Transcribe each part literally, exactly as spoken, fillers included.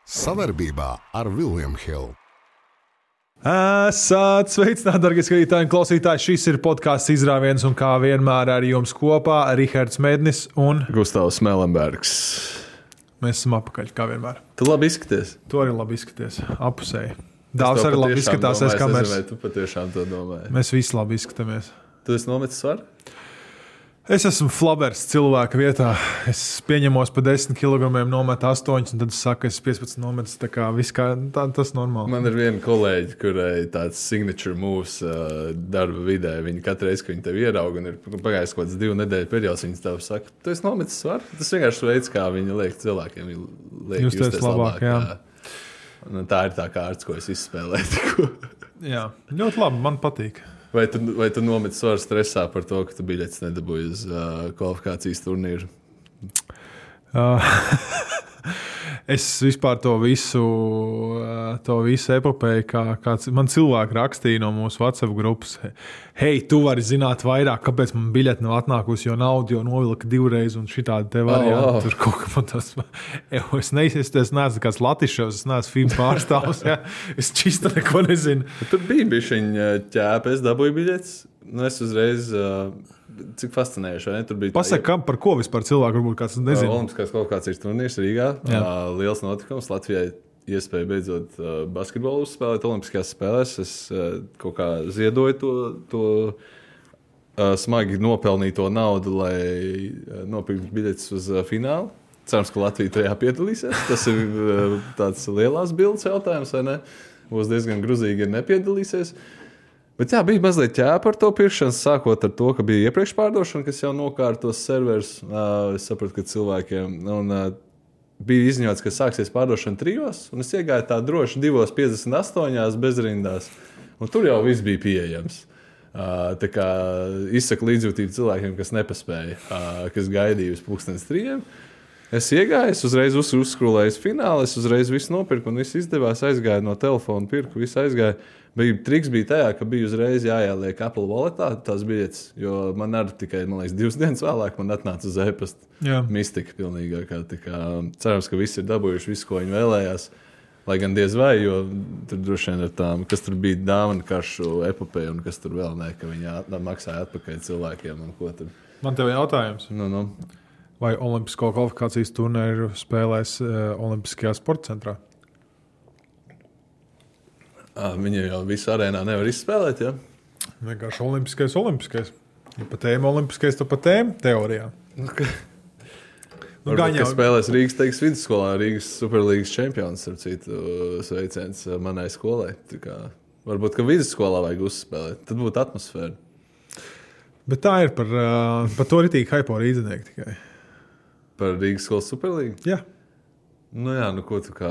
Savarbībā ar William Hill. Esat sveicināti, darbie skatītāji un klausītāji. Šis ir podkāsts Izrāviens, un kā vienmēr ar jums kopā Rihards Mednis un Gustavs Melenbergs. Mēs esam apakaļ, kā vienmēr. Tu labi izskaties. Tu arī labi izskaties, apusēji. Dāvs arī labi izskatās, domāju, aiz kameras. Es nezinu, vai tu patiešām to domāji. Mēs visi labi izskatāmies. Tu esi nometis svaru? Es esmu flabers cilvēka vietā. Es pieņemos pa desmit kilogramiem, nometu astoņus, un tad es saku, es piecpadsmit nometu. Tā kā viss kā, tā, tas normāli. Man ir viena kolēģi, kurai tāds signature moves uh, darba vidē. Viņa katru reizi, kad viņa tevi ieraug, un ir pagājis kaut kāds divu nedēļu periods, viņa tev saka, tu esi nometis svaru? Tas vienkārši veids, kā viņa liek cilvēkiem. Liek justies labāk, labāk, jā. Un tā ir tā kārts, ko es izspēlēju. Jā, ļoti labi, man patīk. Vai tu, vai tu nometi svaru stresā par to, ka tu biļetes nedabūji uz uh, kvalifikācijas turnīru? Uh, es vispār to visu, to visu epopēju, kā kāds man cilvēki rakstīja no mūsu WhatsApp grupas. Hei, tu vari zināt vairāk, kāpēc man biļete nav atnākusi, jo naudu jau novilka divreiz un šitādi te varianti. Oh, oh. Tur kaut kā man tas... Es neesmu, es neesmu kāds latiševs, es neesmu filmu pārstāvs. Ja? Es čista neko nezinu. Tur bija bišķiņa ķēpa, es dabūju biļetes. Nu, es uzreiz... Uh, cik fascinējuši, vai ne? Tur bija... Pasaka, kam, par ko vispār cilvēku varbūt kāds nezinu? Olimpiskās kvalifikācijas turnīrs Rīgā. Uh, liels notikums. Latvijai iespēja beidzot uh, basketbolu uzspēlēt Olimpiskajās spēlēs. Es uh, kaut kā ziedoju to, to uh, smagi nopelnīto naudu, lai uh, nopirktu biļetes uz uh, finālu. Cerams, ka Latvija tajā piedalīsies. Tas ir uh, tāds lielās bildes jautājums, vai ne? Būs diezgan gruzīgi, ja nepiedalīsies. Bet jā, bija mazliet ķēpa par to pirkšanas, sākot ar to, ka bija iepriekš pārdošana, kas jau nokārtos servers. Uh, es sapratu, ka cilvēkiem... Un, uh, bija izņots, ka sāksies pārdošana trijos, un es iegāju tā droši divos piecdesmit astoņās bezrindās. Un tur jau viss bija pieejams. Uh, tā kā izsaka līdzjūtību cilvēkiem, kas nepaspēja, uh, kas gaidīja uz pulkstens trījiem. Es iegāju, es uzreiz uz, uzskrūlēju finālu, es uzreiz visu nopirku, un viss izdevās, aizgāju no telefona, pirku, viss aizgāju. Bija, triks bija tajā, ka bija uzreiz jāieliek Apple Walletā tās biļetes, jo man arī tikai, man liekas, divas dienas vēlāk man atnāca uz e-pasta. Mistika pilnīgākā. Tā kā cerams, ka visi ir dabūjuši visu, ko viņi vēlējās. Lai gan diez vai, jo tur droši vien ir tām, kas tur bija dāvana karšu epopēja un kas tur vēl ne, ka viņi at, maksāja atpakaļ cilvēkiem un ko tur. Man tev jautājums. Nu, nu. Vai Olimpisko kvalifikācijas turnīru spēlēs uh, Olimpiskajā sporta centrā? À, viņi jau visu arēnā nevar izspēlēt, ja? Vienkārši olimpiskais, olimpiskais. Ja pa tēmu olimpiskais, tad pa tēmu teorijā. Okay. Nu, Varbūt, jau... ka spēlēs Rīgas teiks vidusskolā, Rīgas Superlīgas čempions, ar citu sveiciens manai skolai. Tā kā, varbūt, ka vidusskolā vajag uzspēlēt, tad būtu atmosfēra. Bet tā ir par, uh, par to ritīgi haipo rīdzinieki tikai. Par Rīgas skolas Superlīgu? Jā. Nu jā, nu ko tu kā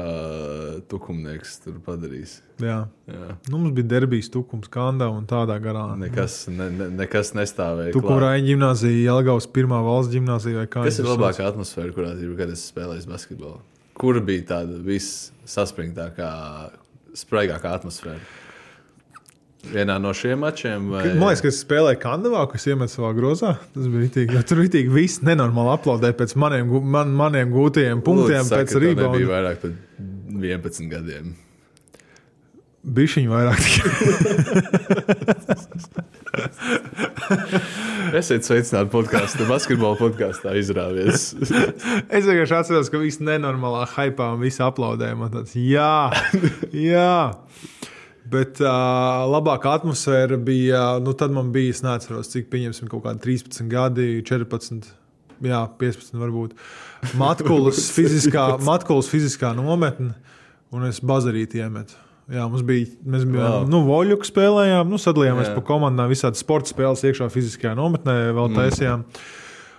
tukumnieks tur padarīsi? Jā. Jā. Nu, mums bija derbijas tukums Kandā un tādā garā. Nekas, ne, ne, nekas nestāvēja. Tukurāņa ģimnāzija, Jelgavas pirmā valsts ģimnāzija vai kā. Kas ir labākā atmosfēra, kurā kad es spēlēju basketbolu? Kur bija tāda viss saspringtākā, spraigākā atmosfēra? Vienā no šiem mačiem? Vai... Man liekas, ka es spēlēju Kandavā, kas iemet savā grozā. Tas bija ritīgi. Tur ritīgi viss nenormāli aplaudēja pēc maniem, man, maniem gūtajiem punktiem. Lūdzu, pēc saka, rība. Nebija vairāk par vienpadsmit gadiem. Bišķiņi vairāk. Esiet sveicināti podkāstā, basketbola podkāstā Izrāviens. Es vienkārši atceros, ka viss nenormālā haipā un visi aplaudēja. Man tāds, jā, jā. Bet uh, labākā atmosfēra bija, nu tad man bija, es neatceros, cik pieņemsim kaut kādi trīspadsmit gadi, četrpadsmit, jā, piecpadsmit varbūt. Matkulas fiziskā, Matkulas fiziskā nometne, un es bazarīti iemetu. Jā, mums bija, mēs bijām, wow. nu, voļuku spēlējām, nu, sadalījāmies pa komandām, visādi sporta spēles iekšā fiziskajā nometnē vēl taisījām. Mm.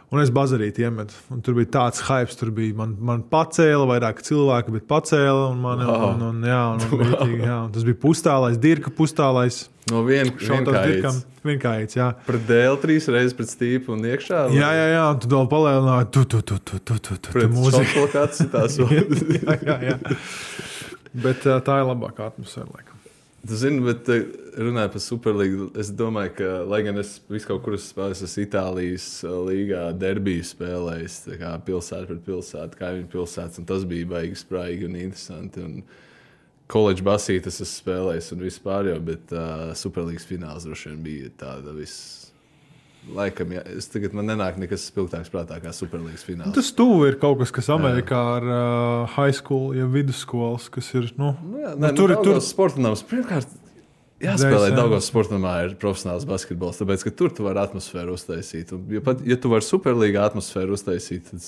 Un es bazarīti iemetu. Un tur bija tāds hypes, tur bija man, man pacēla, vairāk cilvēki, bet pacēla. Un man, wow. un, un, jā, un, un, wow. jā, un tas bija pustālais, Dirka pustālais. No vien, vienkājīts. Vienkājīts, jā. Pret dēli trīs reizes pret stīpu un iekšā? Vai? Jā, jā, jā, un tu vēl palielināji tu, tu, tu, tu, tu, tu, tu, pret mūziku. Pret šokolāts citās. jā, jā, jā. Bet tā ir labākā atmosfēra, laikam. Tu zini, bet runājot par Superlīgu, es domāju, ka, lai gan es visu kaut kur esmu spēlējis, esmu Itālijas līgā derbiju spēlējis, tā kā pilsēta pret pilsētu, kaimiņu pilsētas, un tas bija baigi spraigi un interesanti. Un koledžu basītes esmu spēlējis un vispār jau, bet uh, Superlīgas fināls droši vien bija tāda viss. Laikam, jā, es tagad man nenāk nekas spilgtāks prātā kā Superlīgas fināls. Tas tuvu ir kaut kas, kas Amerikā ar uh, high school, ja vidusskolas, kas ir, nu... Nu jā, nu, ne, tur nu, ir tur... sportnams. Pirmkārt, jāspēlē Daugavas sportnamā ir profesionāls basketbols, tāpēc, ka tur tu vari atmosfēru uztaisīt. Un, ja, pat, ja tu vari Superlīgā atmosfēru uztaisīt, tad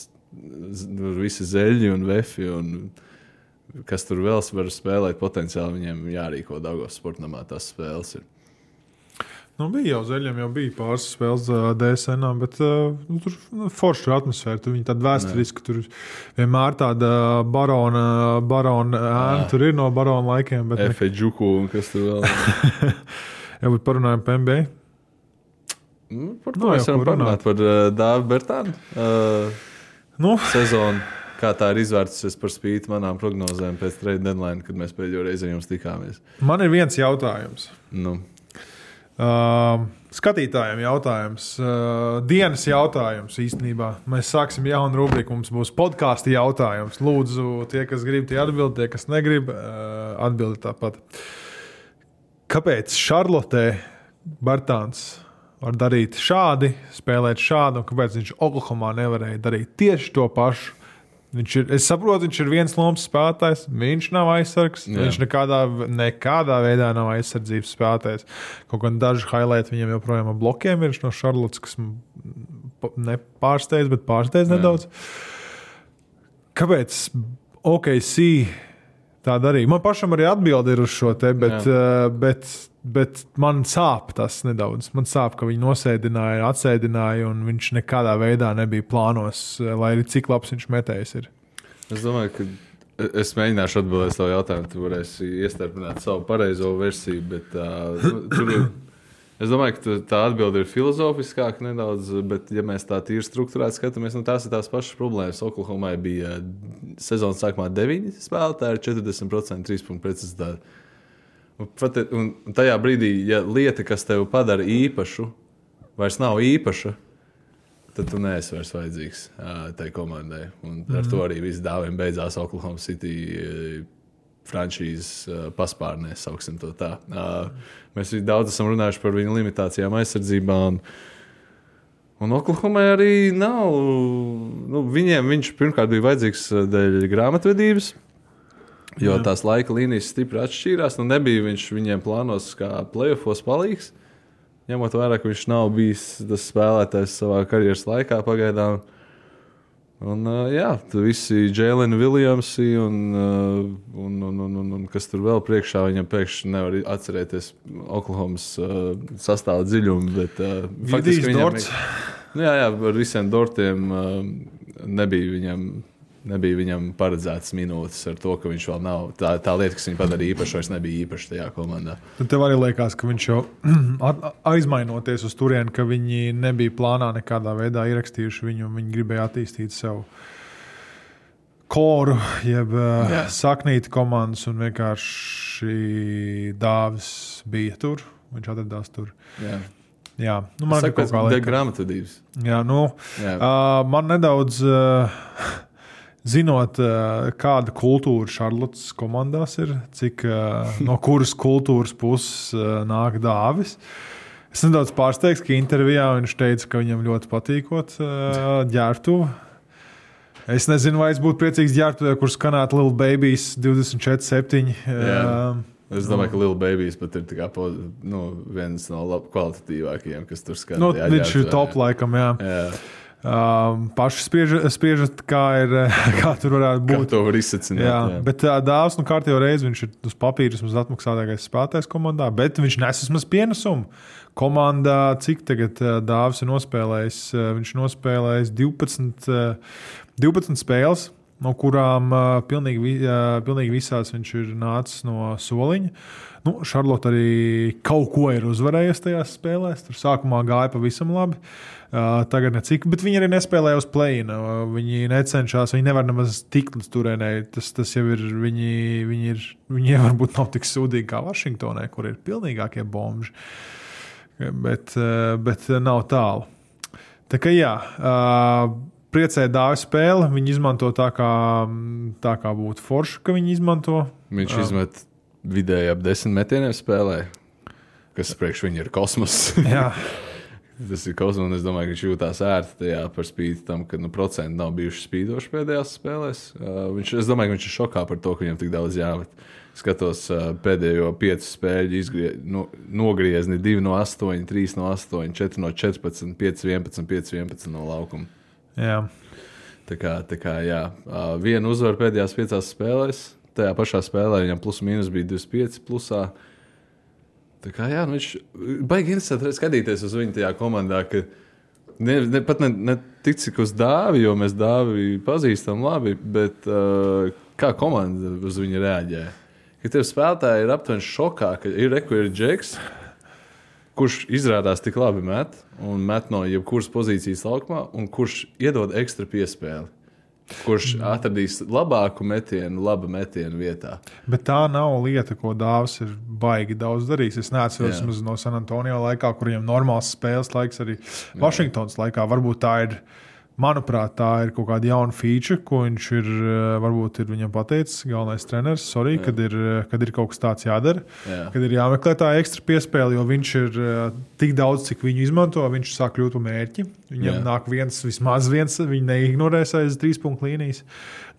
tur visi zeļi un vefi un kas tur vēl var spēlēt, potenciāli viņiem jārīko Daugavas sportnamā tās spēles ir. Nu, bija jau zeļiem, jau bija pāris spēles uh, D S N-ā, bet uh, nu, tur nu, forša atmosfēra. Tur viņi tāda vēsturiski, tur vienmēr tāda barona, barona ēna, tur ir no barona laikiem. Efe Džuku un kas tur vēl. Jā, bet parunājam par N B A. Nu, par to no, mēs varam parunāt par uh, Dāvi Bertānu uh, nu. sezonu. Kā tā ir izvērtusies par spīti manām prognozēm pēc trade deadline, kad mēs pēdējo reizi ar jums tikāmies. Man ir viens jautājums. Nu. Uh, skatītājiem jautājums, uh, dienas jautājums īstenībā. Mēs sāksim jaunu rubriku, mums būs podkāstu jautājums. Lūdzu, tie, kas grib, tie atbild, tie, kas negrib, uh, atbildi tāpat. Kāpēc Šarlotē Bertāns var darīt šādi, spēlēt šādi, un kāpēc viņš Oklahomā nevarēja darīt tieši to pašu? Viņš ir, es saprotu, viņš ir viens lomas spēlētājs, viņš nav aizsargs, Jā. viņš nekādā, nekādā veidā nav aizsardzības spēlētājs. Kaut gan daži highlighti viņam joprojām ar blokiem ir no Šarlotas, kas nepārsteidz, bet pārsteidz Jā. nedaudz. Kāpēc O K C tā darīja? Man pašam arī atbildi ir uz šo te, bet, uh, bet, bet man sāp tas nedaudz. Man sāp, ka viņi nosēdināja, atsēdināja, un viņš nekādā veidā nebija plānos, lai arī cik labs viņš metējs ir. Es domāju, ka es mēģināšu atbildēt savu jautājumu, tu varēsi iestarpināt savu pareizo versiju, bet uh, tur ir, es domāju, ka tā atbilde ir filozofiskāka nedaudz, bet ja mēs tā tīri strukturēti skatāmies, nu tās ir tās pašas problēmas. Oklahomai bija sezonas sākumā deviņi spēlētāji ar četrdesmit procenti trīs punktu precizitāti. Un tajā brīdī, ja lieta, kas tev padara īpašu, vairs nav īpaša, tad tu neesi vairs vajadzīgs tai komandai. Un ar mm. to arī viss dāviem beidzās Oklahoma City franšīzes paspārnē, sauksim to tā. Mēs daudz esam runājuši par viņu limitācijām aizsardzībā. Un, un Oklahomai arī nav. Nu, viņiem viņš pirmkārt bija vajadzīgs dēļ grāmatvedības. Jo Jā. tās laika līnijas stipri atšķīrās. Nu, nebija viņš viņiem plānos kā playoffos palīgs. Ņemot vērā, ka viņš nav bijis tas spēlētājs savā karjeras laikā pagaidām. Un, uh, jā, tu visi Jalen Williamsi un, uh, un, un, un, un, un kas tur vēl priekšā, viņam pēkšņi nevar atcerēties Oklahomas uh, sastāva dziļumu. Bet, uh, faktiski viņam, nu, jā, jā, ar visiem dortiem uh, nebija viņam... Nebija viņam paredzētas minūtes ar to, ka viņš vēl nav. Tā, tā lieta, kas viņu padarīja īpaši, vairs nebija īpaši tajā komandā. Tad tev arī liekas, ka viņš jau aizmainoties uz turieni, ka viņi nebija plānā nekādā veidā ierakstījuši viņu, un viņi gribēja attīstīt sev koru, jeb Jā. saknīti komandas, un vienkārši Dāvis bija tur. Viņš atradās tur. Jā. Jā, nu man ir kaut kā liekas. Grāmatvedības. Jā, nu, Jā. Uh, man nedaudz... Uh, Zinot, kāda kultūra Šarlotas komandās ir, cik no kuras kultūras puses nāk Dāvis. Es nedaudz pārsteigts, ka intervijā viņš teica, ka viņam ļoti patīkot ģērbtuve. Es nezinu, vai es būtu priecīgs ģērbtuvē, kur skanētu Lil Babies divdesmit četri septiņi. Es domāju, ka Lil Babies pat ir tā kā, nu, viens no lab, kvalitatīvākajiem, kas tur skan. Nu, viņš ir top laikam, jā. jā. Um, paši spriežat, spriežat kā, ir, kā tur varētu būt. Kā to var izsacināt. Jā, jā. Bet uh, Dāvs, nu kārtējo reizi viņš ir uz papīra vismaz atmaksātākais spēlētājs komandā, bet viņš nes vismaz pienesumu. Komandā, cik tagad uh, Dāvs ir nospēlējis? Uh, viņš nospēlējis divpadsmit, uh, divpadsmit spēles, no kurām uh, pilnīgi, uh, pilnīgi visās viņš ir nācis no soliņa. Nu, Šarlota arī kaut ko ir uzvarējusi tajās spēlēs. Tur sākumā gāja pavisam labi. Uh, tagad necik, bet viņi arī nespēlēja uz play-ina. Uh, viņi necenšas, viņi nevar nemaz tikt līdz turēnē. Tas, tas jau ir, viņi, viņi ir, viņiem varbūt nav tik sūdīgi kā Vašingtonē, kur ir pilnīgākie bomži. Bet, uh, bet nav tālu. Tā kā jā, uh, priecēja dāvi spēle. Viņi izmanto tā kā, tā kā būtu forši, ka viņi izmanto. Viņš uh, izmet vidēji ap desmit metieniem spēlē, kas priekš viņa ir kosmos. Jā. Tas ir kosmos, un es domāju, ka viņš jūtās ērti tajā par spīti tam, ka nu, procenti nav bijuši spīdoši pēdējās spēlēs. Uh, viņš, es domāju, ka viņš ir šokā par to, ka viņam tik daudz jāmet. Skatos uh, pēdējo piecu spēļu izgrie, nu, nogriezni divi no astoņi, trīs no astoņi, četri no četrpadsmit, pieci vienpadsmit, pieci vienpadsmit no laukuma. Jā. Tā kā, tā kā jā, uh, viena uzvara pēdējās piecās spēlēs. Tajā pašā spēlē viņam plus mīnus bija divdesmit pieci plusā. Tā kā jā, nu viņš baigi interesanti skatīties uz viņu tajā komandā, ka ne, ne, pat ne, ne tik cik uz Dāvi, jo mēs Dāvi pazīstam labi, bet uh, kā komanda uz viņu reaģē. Ka tev spēlētāji ir aptuveni šokā, ka ir reku ir Džeks, kurš izrādās tik labi met, un met no jebkuras pozīcijas laukumā, un kurš iedod ekstra piespēli. Kurš atradīs labāku metienu, labu metienu vietā. Bet tā nav lieta, ko Dāvis ir baigi daudz darījis. Es neatceros no San Antonio laikā, kuriem normāls spēles laiks arī Vašingtonas laikā. Varbūt tā ir, manuprāt, tā ir kaut kāda jauna feature, ko viņš ir, varbūt ir viņam pateicis, galvenais treneris, sorry, kad ir, kad ir kaut kas tāds jādara, Jā. Kad ir jāmeklē tā ekstra piespēle, jo viņš ir tik daudz, cik viņu izmanto, viņš sāk kļūt par mērķi. Viņam Jā. Nāk viens, vismaz viens, viņi neignorēs aiz trīs punktu līnijas.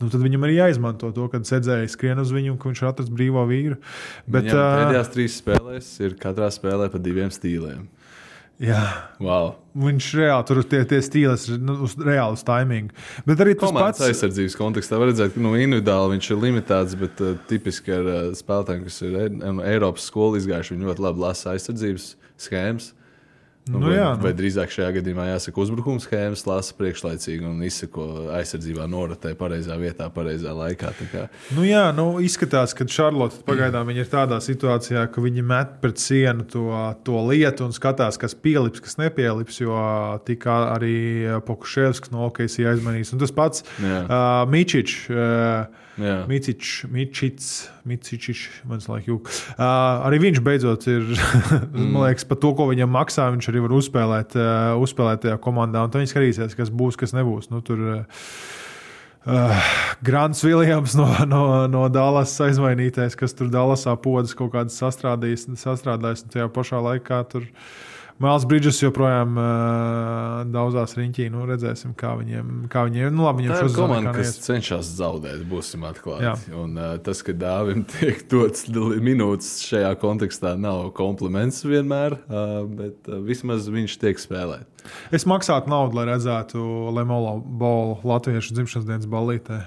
Nu, tad viņam arī jāizmanto to, kad sēdzēja skrien uz viņu, ka viņš ir atrasts brīvo vīru. Bet, viņam pēdējās trīs spēlēs ir katrā spēlē pa diviem stīliem. Jā, wow. Viņš reāli tur tie, tie stīles ir nu, uz reāli uz taimingu. Bet arī tas komandas pats aizsardzības kontekstā var redzēt, ka nu, individuāli viņš ir limitēts, bet uh, tipiski ar uh, spēlētājiem, kas ir Eiropas skolu izgājuši, viņi ļoti labi lasa aizsardzības schēmas. Nu, nu, vai, jā, nu. vai drīzāk šajā gadījumā jāsaka uzbrukuma schēmas, lasa priekšlaicīgi un izsako aizsardzībā norotē pareizā vietā, pareizā laikā. Nu jā, nu izskatās, ka Šarlota pagaidām viņa ir tādā situācijā, ka viņi met pret sienu to, to lietu un skatās, kas pielips, kas nepielips, jo tika arī Pokuševskis no O K C aizmanījis. Un tas pats uh, Mičič, uh, Micič, Mičič, Micičiš, man laik jūk. Uh, arī viņš beidzot ir, man liekas, par to, ko viņam maksā, viņš arī var uzspēlēt, uh, uzspēlēt tajā komandā. Un tad viņi skatīsies, kas būs, kas nebūs. Nu, tur uh, uh, Grants Viljams no, no, no Dallas aizmainītais, kas tur Dallasā podas kaut kādas sastrādājis, sastrādājis un tajā pašā laikā tur Miles Bridges joprojām uh, daudzās riņķī. Nu, redzēsim, kā viņiem, kā viņiem nu, labi, viņiem tā ir komanda, kas cenšas zaudēt, būsim atklāti. Un, uh, tas, ka Dāvim tiek dots minūtes šajā kontekstā, nav kompliments vienmēr, uh, bet uh, vismaz viņš tiek spēlēt. Es maksātu naudu, lai redzētu Lemolo Bolu latviešu dzimšanas dienas ballītē.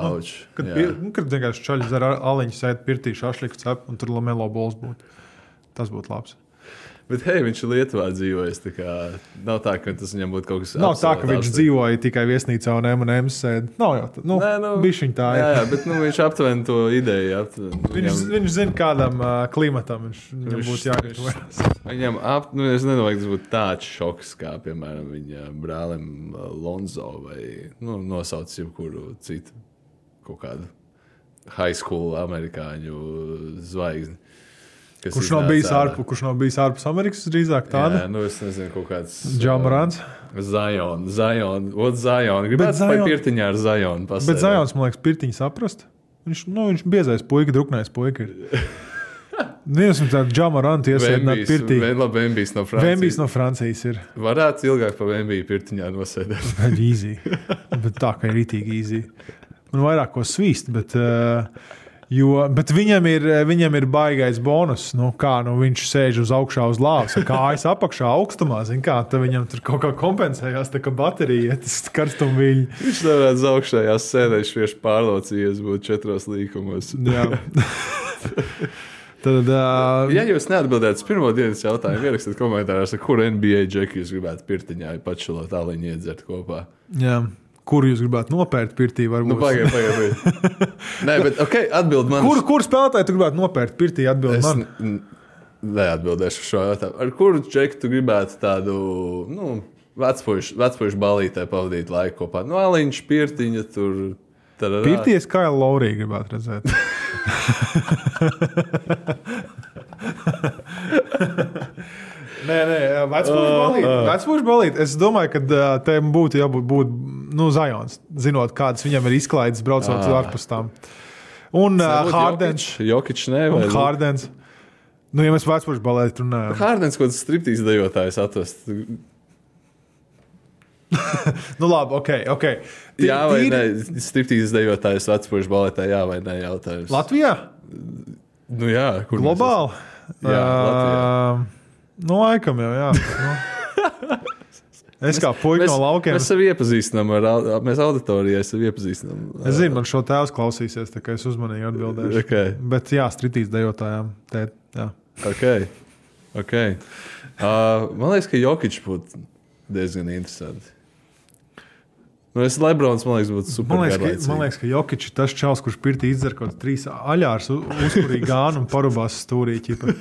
Auč, nu, kad, pir, nu, kad vienkārši čaļi zara aliņu sēd pirtī šašliku cep, un tur Lemolo Bols būtu. Tas būtu labs. Bet, hei, viņš ir Lietuvā dzīvojis. Tā kā nav tā, ka tas viņam būtu kaut kas tāds. Nav tā, ka viņš dzīvoja tikai viesnīcā un M and M's sēd. Nav jau tā. Nu, Nē, nu, bišķiņ tā ir. Jā, jā, bet nu, viņš aptuveni to ideju. Aptuveni, viņš, viņam, viņš zina, kādam uh, klimatam viņš, viņam viņš, būtu jāgatavojas. Viņam ap, nu, es nedomāju, ka tas būtu tāds šoks, kā, piemēram, viņa brālim Lonzo vai nu, nosauc jebkuru citu kaut kādu high school amerikāņu zvaigzni. Kurš nav, ārpu, kurš nav bijis ārpus Amerikas, drīzāk tāda? Jā, nu es nezinu, kaut kāds... Džamarants? Zion, Zion, ot Zion. Gribētu spēj pirtiņā ar Zion pasēdēt. Bet Zions, man liekas, pirtiņu saprast. Viņš, nu, viņš biezais puika, druknais puika ir. Neesmu tādu Džamarantu iesēdināt pirtī. Vembijs no Francijas. Vembijs no Francijas ir. Varētu ilgāk pa Vembiju pirtiņā nosēdēt. Easy. Bet tā, ka ir ritīgi easy. Man vairāk ko svīst, bet... Uh, Jo, bet viņam ir, viņam ir baigais bonus, nu, kā nu, viņš sēž uz augšā uz lāvas, kājas apakšā augstumā, zin kā, tad viņam tur kaut kā kompensējās, tā kā baterija, tas karstumviļi. Viņš nevarētu uz augšējās sēdēs vienkārši pārlaucījies būt četros līkumos. Jā. Tad, uh, ja jūs neatbildētu uz pirmo dienas jautājumu, ierakstiet komentārās, ar kuru N B A džeku jūs gribētu pirtiņā pačulot tāliņu iedzert kopā. Jā. Kuru jūs gribētu nopērt pirtī? Varbūt? Nu, pagaid, pagaid, pagaid. Nē, bet ok, atbild man. Kur, kur spēlētāji tu gribētu nopērt pirtī? Atbild es man. N- neatbildēšu šo jautājumu. Ar kuru džeku tu gribētu tādu, nu, vecpuišu, vecpuišu balītē pavadīt laiku kopā? Nu, Aliņš, Pirtiņa, tur... Tararā. Pirtī es Kailu Lauriju gribētu redzēt. Nē, nē, vecpuišu balīt. Vecpuišu balīt. Es domāju, ka te būtu jābūt būt, nu, Zajons, zinot, kādas viņam ir izklaides braucot ārpus tām. Un uh, Hārdens. Jokič, ne, vai? Un Hārdens. Nu, ja mēs vecpuišu balīti runājam. Hārdens, ko tas striptīs dejotājs atvest. Nu, labi, ok, ok. T- Jā vai tīri- nē, striptīs dejotājs vecpuišu balītē, jā vai nē jautājums. Latvijā? Nu jā, kur Globāli? Jā, Latvijā. Uh, nu, laikam jau, jā. Nu. Es kā puika no laukiem. Mēs sevi iepazīstinām ar, au- mēs auditorijai sevi iepazīstinām. Es zinu, man šo tēvs klausīsies, tā kā es uzmanīgi atbildēšu. Okay. Bet jā, stritīs dejotājām. Tēt, jā. Ok, ok. Uh, man liekas, ka Jokič būtu diezgan interesanti. Nu, es Lebrons, man liekas, būtu super Man liekas, ka, garlaicīgi. man liekas, ka Jokič ir tas čels, kurš pirtī izdzer kaut trīs aļārs, uzkurīja gānu un parubās stūrī ķipa.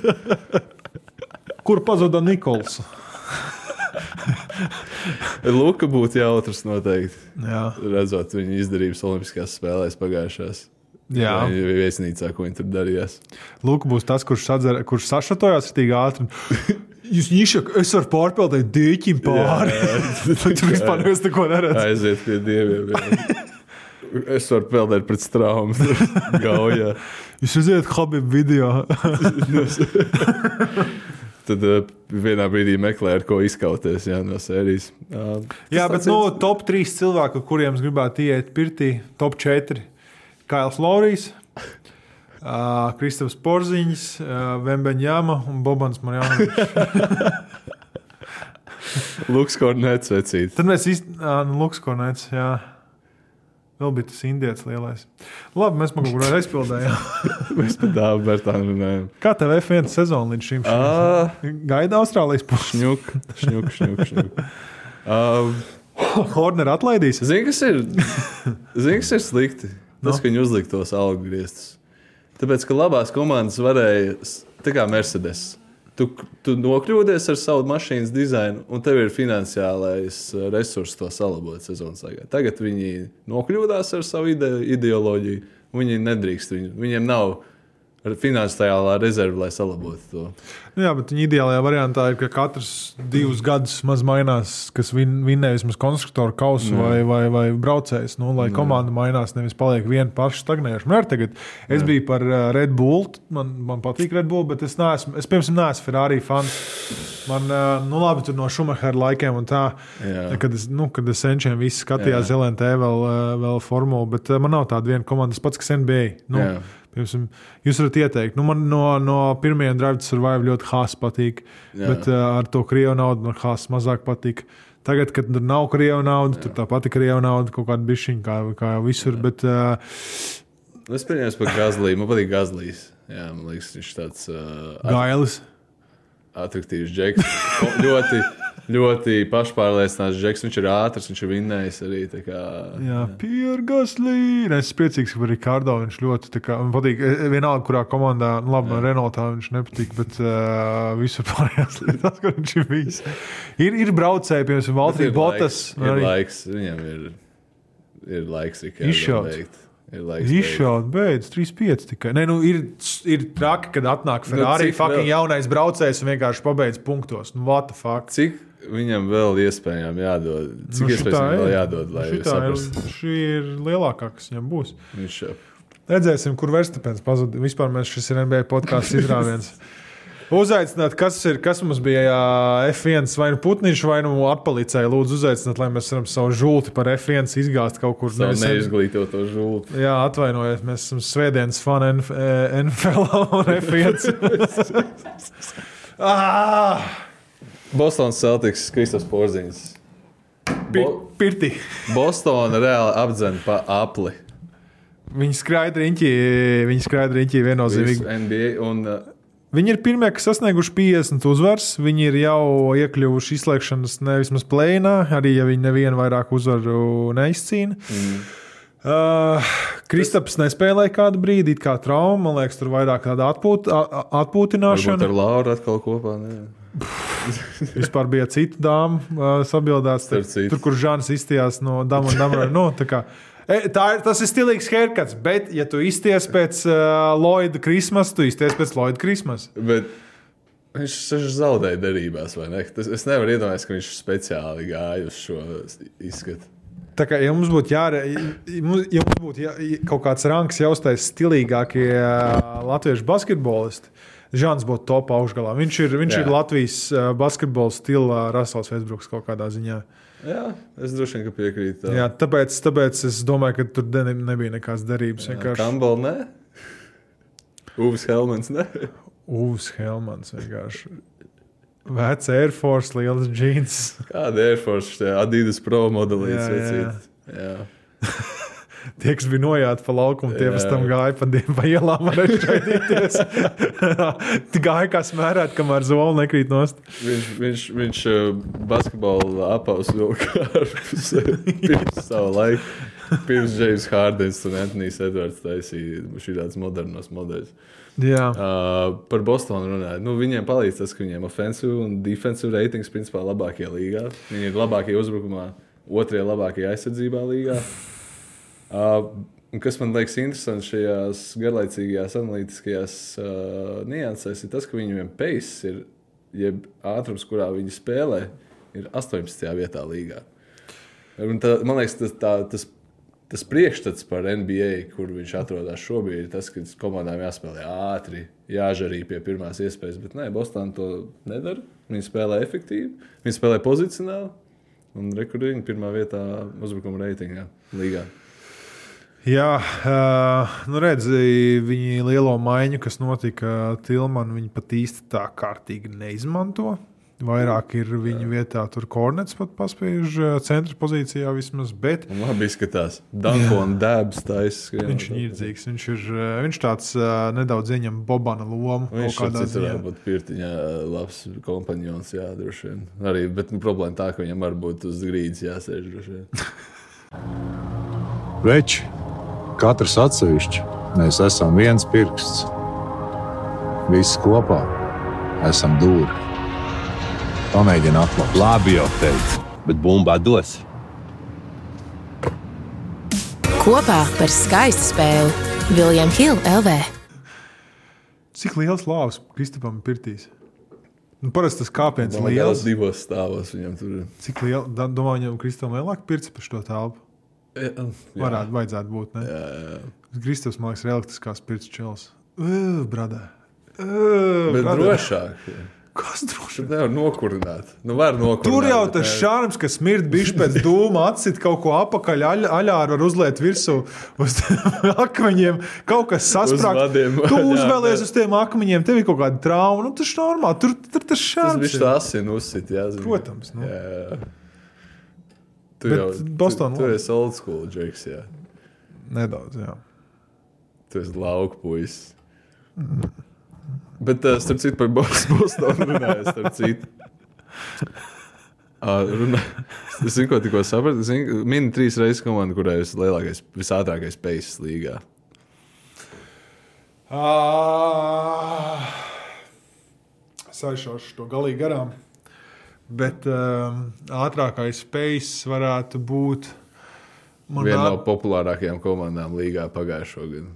Kur pazuda Nikols? Luka būtu jautrs noteikti. Jā. Redzot viņu izdarības Olimpiskās spēlēs pagājušās. Jā. Vai viesnīcā, ko viņi tur darījās. Lūk, būs tas, kurš, sadzer, kurš sašatojās ritīgi ātri. Jūs ņišak, es varu pārpildīt dīķim pāri. Tur vispār nevis neko neredz. Aiziet pie dieviem. Jā. Es varu peldēt pret straumu. Gaujā. Jūs redzējat Habib video. Tad uh, vienā brīdī meklē, ar ko izkauties, jā, no sērijas. Uh, Jā, bet no top trīs cilvēku, kuriem es gribētu iet pirtī, top četri. Kails Laurijs, uh, Kristofs Porziņš, uh, Vembeņjama un Bobans Marjanovičs. Luks Kornets vecīt. Tad mēs īsti, uh, nu, Luks Kornets, jā. Vēl bija tas indietis lielais. Labi, mēs man kaut kur aizpildējām. Mēs pat dāvu Bertānu runājam. Kā tev F viens sezona līdz šim? Ah. Gaida Austrālijas pusi. Šņuk, šņuk, šņuk, šņuk. Uh, Horner atlaidīs. Zini, kas ir, zini, kas ir slikti? Tas, ka viņi uzlika tos algu griestus. Tāpēc, ka labās komandas varēja, tā kā Mercedes, tu, tu nokļūdies ar savu mašīnas dizainu, un tev ir finansiālais resurss to salabot sezonas laikā. Tagad viņi nokļūdās ar savu ide, ideoloģiju, un viņi nedrīkst. Viņi, viņiem nav finansiālā rezerve, lai salabotu to. Jā, bet viņa ideālajā variantā ir, ka katrs divus gadus maz mainās, kas vin, vinnē vismaz konstruktoru kausu vai, vai, vai braucējs. Nu, lai komanda mainās, nevis paliek viena paša stagnējuša. Man tagad, es Jā. biju par Red Bull, man, man patīk Red Bull, bet es neesmu, es pirms neesmu Ferrari fans. Man, nu labi, tur no Schumachera laikiem un tā, Jā. kad es, nu, kad es senčiem visi skatījās L N T vēl, vēl formulu, bet man nav tāda viena komanda, tas pats, kas N B A. Nu, Piemēram, jūs varat ieteikt, nu man no, no pirmajiem Drive to Survive ļoti Haas patīk, Jā. bet uh, ar to Krievu naudu man Haas mazāk patīk. Tagad, kad tur nav Krievu naudu, Jā. tur tā pati Krievu nauda, kaut kāda bišķiņa, kā, kā jau visur, Jā. bet... Uh, es pieņēmu par Gazlī, man patīk Gazlīs. Jā, man liekas, viņš tāds... Uh, Gailis. Atraktīvs džeks. ļoti, ļoti pašpārliecināts džeks. Viņš ir ātrs, viņš ir vinnējis arī. Kā, jā, Pierre Gasly. Es esmu priecīgs, ka par Ricardo viņš ļoti, kā, man patīk, vienalga, kurā komandā, nu labi, jā. no Renaultā viņš nepatīk, bet uh, visur pārējās lietās, kur viņš ir bijis. Ir, ir braucēji, piemēram, Valtteri Bottas. Ir arī... laiks, viņam ir, ir laiks, tikai izšaut. Izšaut, beidz, trīs pieci tikai. Nē, nu, ir, ir traki, kad atnāk Ferrari, nu, fucking vēl... jaunais braucējs un vienkārši pabeidz punktos. Nu, what the fuck? Cik viņam vēl iespējām jādod? Cik nu, iespējams viņam vēl jādod, lai saprastu? Šī ir lielākā, kas viņam būs. Viņš jau. Redzēsim, kur Verstapens pazuda. Vispār mēs šis ir N B A podcasts izrāviens. Uzaicināt, kas ir, kas mums bija F viens vai nu Putniņš vai nu atpalicēja. Lūdzu uzaicināt, lai mēs varam savu žulti par F viens izgāzt kaut kur. Savu neizglītoto žulti. Jā, atvainojiet, mēs esam svētdienas fani N F L un F viens. ah! Bostonas Celtics, Kristofs Porziņš. Bo- Pirti. Bostona reāli apdzen pa apli. Viņi skraida riņķī, viņi skraida riņķī viennozīmīgi. N B A un... Viņi ir pirmie, kas sasnieguši piecdesmit uzvaras. Viņi ir jau iekļuvuši izslēgšanas nevismaz plēnā, arī ja viņi nevienu vairāk uzvaru neizcīna. Mm. Uh, Kristaps nespēlēja kādu brīdi, it kā trauma. Man liekas, tur vairāk tāda atpūt, atpūtināšana. Varbūt ar Lauru atkal kopā, ne? Vispār bija cita dāma uh, sabildāts. Tur, kur Žānis izstījās no Dama un Damra. No, tā kā, e, tā ir, tas ir stilīgs haircuts, bet ja tu izties pēc uh, Lloyda Christmas, tu izties pēc Lloyda Christmas. Bet viņš, viņš zaudēja derībās, vai ne? Tas, es nevaru iedomāties, ka viņš speciāli gāja uz šo izskatu. Tā kā, ja mums būtu jāre, ja mums būtu jā, kaut kāds rangs jāuztais stilīgākie uh, latviešu basketbolisti, Žāns būtu top augšgalā. Viņš ir, viņš ir Latvijas uh, basketbola stila Rasels Vestbruks kaut kādā ziņā. Jā, es droši vien, ka piekrītu. Tā. Jā, tāpēc, tāpēc es domāju, ka tur ne, nebija nekādas derības. Campbell, ne? Uvis Helmans, ne? Uvis Helmans vienkārši. Vecs Air Force, liels džins. Kāda Air Force? Adidas Pro modelīts. Jā, jā. jā. Tie, kas bija nojāti pa laukumu, tie pēc tam gāja pa, pa ielām varēja šaidīties. Gāja kā smērēt, kamēr zoli nekrīt nost. Viņš, viņš, viņš basketbolu apaus vilka pirms savu laiku. Pirms James Hardens un Anthony's Edwards taisīja šī tāds modernos modeļus. Jā. Uh, par Bostonu runājot. Nu, viņiem palīdz tas, ka viņiem offensive un defensive ratings principā labākie līgā. Viņi ir labākie uzbrukumā, otrie labākie aizsardzībā līgā. Uh, kas man liekas interesanti šajās garlaicīgajās analītiskajās uh, niansēs, ir tas, ka viņiem pace ir, jeb ātrums, kurā viņi spēlē, ir astoņpadsmitajā vietā līgā. Un tā, man liekas, tas, tā, tas, tas priekšstats par N B A, kur viņš atrodas šobrīd, ir tas, ka komandām jāspēlē ātri, jāžarī pie pirmās iespējas, bet nē, Boston to nedara. Viņi spēlē efektīvi, viņi spēlē pozicionāli, un rekurīgi pirmā vietā uzbrukuma reitingā līgā. Jā, uh, nu redzi, viņi lielo maiņu, kas notika Tilmanu, viņi pat īsti tā kārtīgi neizmanto. Vairāk ir viņa vietā, tur Kornets pat paspiež centra pozīcijā vismaz, bet... Un labi izskatās. Danko un Dēbs taisa. Viņš ir ņirdzīgs, viņš ir viņš tāds uh, nedaudz ieņem Bobana lomu. Viņš ir citur varbūt pirtiņā labs kompanjons, jā, droši vien. Arī, bet nu, problēma tā, ka viņam varbūt uz grīdas jāsēž droši vien. Veči, katrs atsevišķi, mēs esam viens pirksts. Visi kopā esam dūri. Pamēģini atklāt. Labi jau teicu, bet bumbā dos. Kopā par skaistu spēli William Hill L V. Cik liels lāvs Kristapam pirtīs? Nu, parasti tas kāpiens Man liels. divos stāvos viņam tur. Cik liels? Domā, viņam Kristapam lielāk pirts par šo telpu? Jā, Varētu, vajadzētu būt, ne? jā, jā. Kristaps, man liekas, realistiskās pirts čels. Ugh, bradā. Ugh, Bet bradā. drošāk. Kas droši? Tur nevar nokurināt. Nu, var nokurināt. Tur jau bet tas ne- šārms, kas smird bišķi pēc dūma, atsit kaut ko apakaļ, aļ, aļāru var uzliet virsū uz akmeņiem, kaut kas sasprāk. Uz vadiem. Tu Jā, uzvēlies bet- uz tiem akmeņiem, tev ir kaut kāda trauma, nu tas normāli, tur, tur tas Tas šārms viņš ir. tā asinu uzsit, jā. zini. Protams, nu. Jā, jā. Tu Bet jau, Boston tu, tu labi. esi old school, Džeks, jā. Nedaudz, jā. Tu esi lauku puisis. Bet, uh, starp citu, par Bos- Bostonu runāju, starp citu. Uh, runā... Es zinu, ko tikko sapratu. Es zinu, mini trīs reizes komanda, kurai ir lielākais, visātrākais paces līgā. Ah, Es aizšaušu to galīgi garām. Bet um, ātrākais pace varētu būt... Man Viena nā- no populārākajām komandām līgā pagājušo gadu.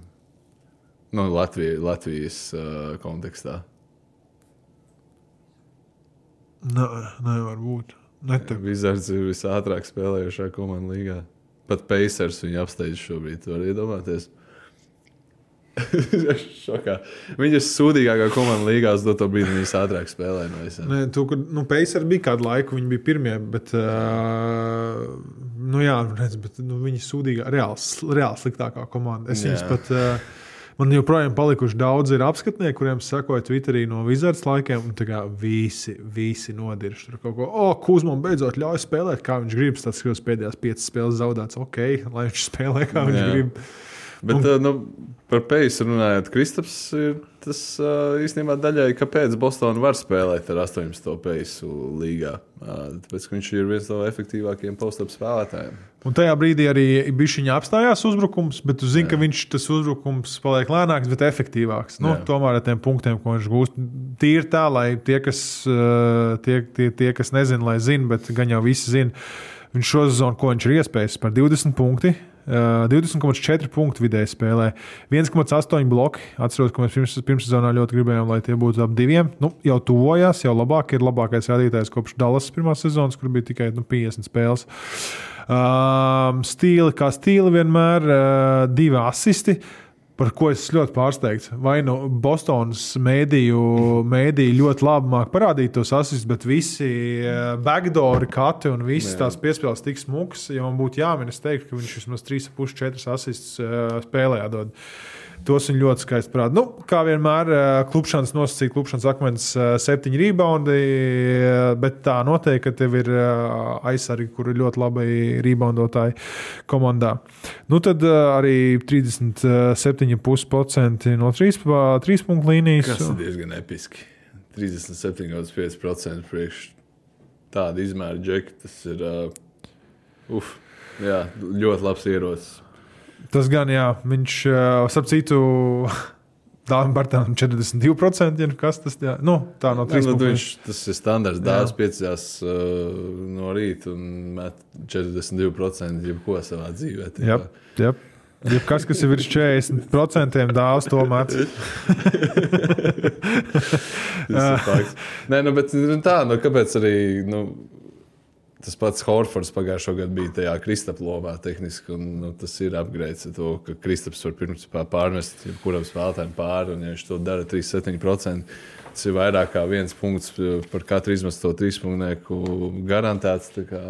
Nu, Latvija, Latvijas uh, kontekstā. Nē, nevar būt. Netev. Wizards ir visātrāk spēlējušā komanda līgā. Pat Pacers viņu apsteidz šobrīd. Tu vari iedomāties. Šokā. Viņi ir sūdīgākā komanda līgā uz doto brīdi, viņi visātrāk spēlē no visiem. Nē, tu, kad, nu, Pacers bija kādu laiku, viņi bija pirmie, bet, uh, nu jā, redz, bet nu, viņi sūdīgā, reāli, reāli sliktākā komanda. Es viņus Jā. pat, uh, man joprojām palikuši daudz ir apskatnieki, kuriem sakoja Twitterī no Wizards laikiem, un tā kā visi, visi nodirš tur kaut ko. O, Kuzmam beidzot ļauj spēlēt, kā viņš grib, tas, ka pēdējās piecas spēles zaudēts, ok, lai viņš spēlē, kā viņš Jā. grib. Bet, un, nu, par Peisu runājot, Kristaps ir tas īstenībā daļai, kāpēc Bostona var spēlēt ar astoņpadsmito Peisu līgā. Tāpēc, ka viņš ir viens no efektīvākajiem post-up spēlētājiem. Un tajā brīdī arī bišķiņā apstājās uzbrukums, bet tu zini, Jā. ka viņš tas uzbrukums paliek lēnāks, bet efektīvāks. Nu, tomēr ar tiem punktiem, ko viņš gūst, tīri tā, lai tie, kas, tie, tie, tie, kas nezina, lai zina, bet gan jau visi zina, viņš šo sezonu, ko viņš ir iespējis par divdesmit punkti, divdesmit komats četri punktu vidēji spēlē, viens komats astoņi bloki. Atceros, ka mēs pirms, pirmssezonā ļoti gribējām, lai tie būtu ap diviem. Nu, jau tuvojās, jau labāk ir labākais rādītājs kopš Dallas pirmās sezonas, kur bija tikai nu, piecdesmit spēles. Um, stīli kā stīli vienmēr, uh, divi asisti. Par ko es ļoti pārsteigts. Vai nu Bostonas mēdīju, mēdīju ļoti labi māk parādīt tos asistus, bet visi backdoori, kati un visas tās piespēles tik smukas, ja man būtu jāmin, es teiktu, ka viņš vismaz trīs komats četri asistus spēlē jādod. Tos viņi ļoti skaisti parāda. Nu, kā vienmēr, klubšanas nosacīja, klubšanas akmens septiņi reboundi, bet tā noteikti, ka tev ir aizsargi, kuri ir ļoti labi reboundotāji komandā. Nu, tad arī trīsdesmit septiņi komats pieci procenti no trīs, trīs punktu līnijas. Tas ir diezgan episki. trīsdesmit septiņi komats pieci procenti priekš tāda izmēra džeka. Tas ir uh, uf, jā, ļoti labs ierocis. Tas gan, jā, viņš, starp citu, Dāvim Bartānam četrdesmit divi procenti, ja kas tas, jā, nu, tā no trīs punktiem. Viņš, tas ir standarts, Dāvs piecās uh, no rīta un met četrdesmit divi procenti jebko savā dzīvē. Jā, jā. Jebkas, kas ir virs četrdesmit procentiem, Dāvs to met. Nē, nu, bet tā, nu, kāpēc arī, nu, tas pats Horfords pagājušo gadu bija tajā Kristapa lomā tehniski, un nu, tas ir upgrades ar to, ka Kristaps var pirms pārmest jebkuram spēlētājiem pāri, un ja viņš to dara trīsdesmit septiņi procenti, tas ir vairāk kā viens punkts par katru izmesto trīspunktnieku garantēts. Tā kā...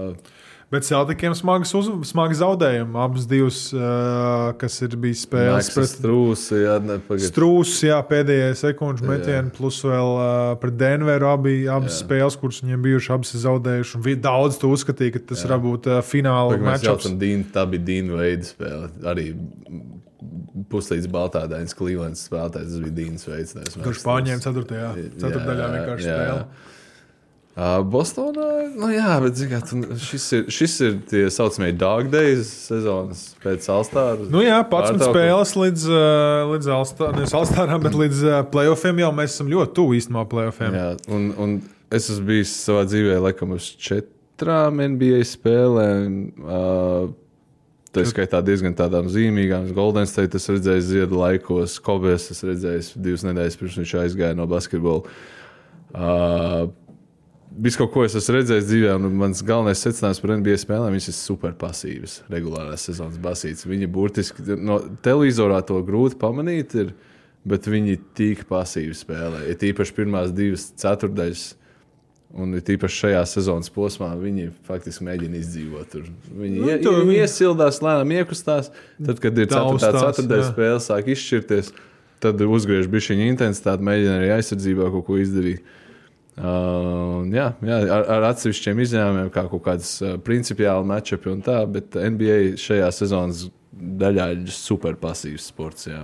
Bet Celtikiem smagas, uz, smagas zaudējumi. Abas divas, uh, kas ir bijis spēles. Pret Strūsi, jā, Strūsi, jā, pēdējie sekundžu metieni, plus vēl uh, pret Denveru abi, abas jā. Spēles, kuras viņiem bijuši, abas ir zaudējuši. Un daudz tu uzskatīja, ka tas jā. Var būt uh, fināla matchups. Tā bija Dīna veida spēle. Arī puslīdz baltādainas Clevelands spēlētājs, tas bija Dīnas veids. Kurš pārņēma ceturtajā, ceturtdaļā vienkārši spēle. Uh, Bostonā, nu jā, bet zikā, šis ir, šis ir tie saucamie dog days sezonas pēc All-Star. Nu jā, padsmit spēles līdz, līdz All-Star, nevis All-Starām, bet līdz playoffiem jau mēs esam ļoti tuvu īstenībā playoffiem. Jā, un, un es esmu bijis savā dzīvē laikam uz četrām N B A spēlēm. Uh, tā skaitā diezgan tādām zīmīgām. Golden State es redzēju ziedu laikos, Kobes es redzēju divas nedēļas pirms viņš aizgāja no basketbola. Uh, Viss kaut ko es esmu redzējis dzīvē, un mans galvenais secinājums par N B A spēlēm, viņas ir super pasīvas, regulārās sezonas basītas. Viņi burtiski, no televizorā to grūti pamanīt ir, bet viņi tik pasīvi spēlē. Ir tīpaši pirmās divas ceturdaļas, un ir tīpaši šajā sezonas posmā, viņi faktiski mēģina izdzīvot tur. Viņi, nu, ie, viņi iesildās, lēnām iekustās, tad, kad ir ceturtā ceturtdaļas spēle, sāk izšķirties, tad uzgriež bišķiņu intensitāti, mēģina arī aizsardzībā kaut ko izdarīt. Uh, jā, jā, ar, ar atsevišķiem izņēmumiem, kā kaut kādas uh, principiāli matchupi un tā, bet N B A šajā sezonas daļā ir super pasīvs sports. Jā.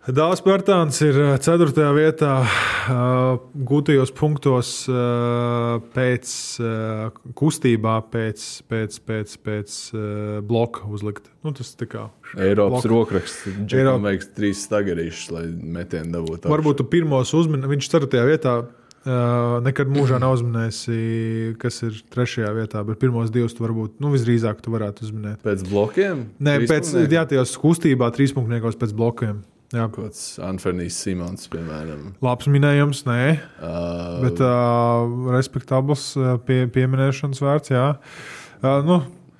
Dāvs Bartāns ir ceturtajā vietā uh, gūtajos punktos uh, pēc uh, kustībā, pēc, pēc, pēc, pēc uh, bloka uzlikt. Nu, tas tā kā Eiropas rokraksts. Džekam vajag trīs stagarīšus, lai metienu dabūtu. Varbūt tu pirmos uzmini, viņš ceturtajā vietā. Uh, nekad mūžā nav uzminējusi, kas ir trešajā vietā, bet pirmos divus tu varbūt, nu, visdrīzāk tu varētu uzminēt. Pēc blokiem? Nē, pēc, jā, tajos kustībā trīspunktniekos pēc blokiem. Jā. Kāds Anthony's Simons, piemēram. Labs minējums, nē, uh, bet uh, respektabls pie, pieminēšanas vērts, jā. Uh, nu,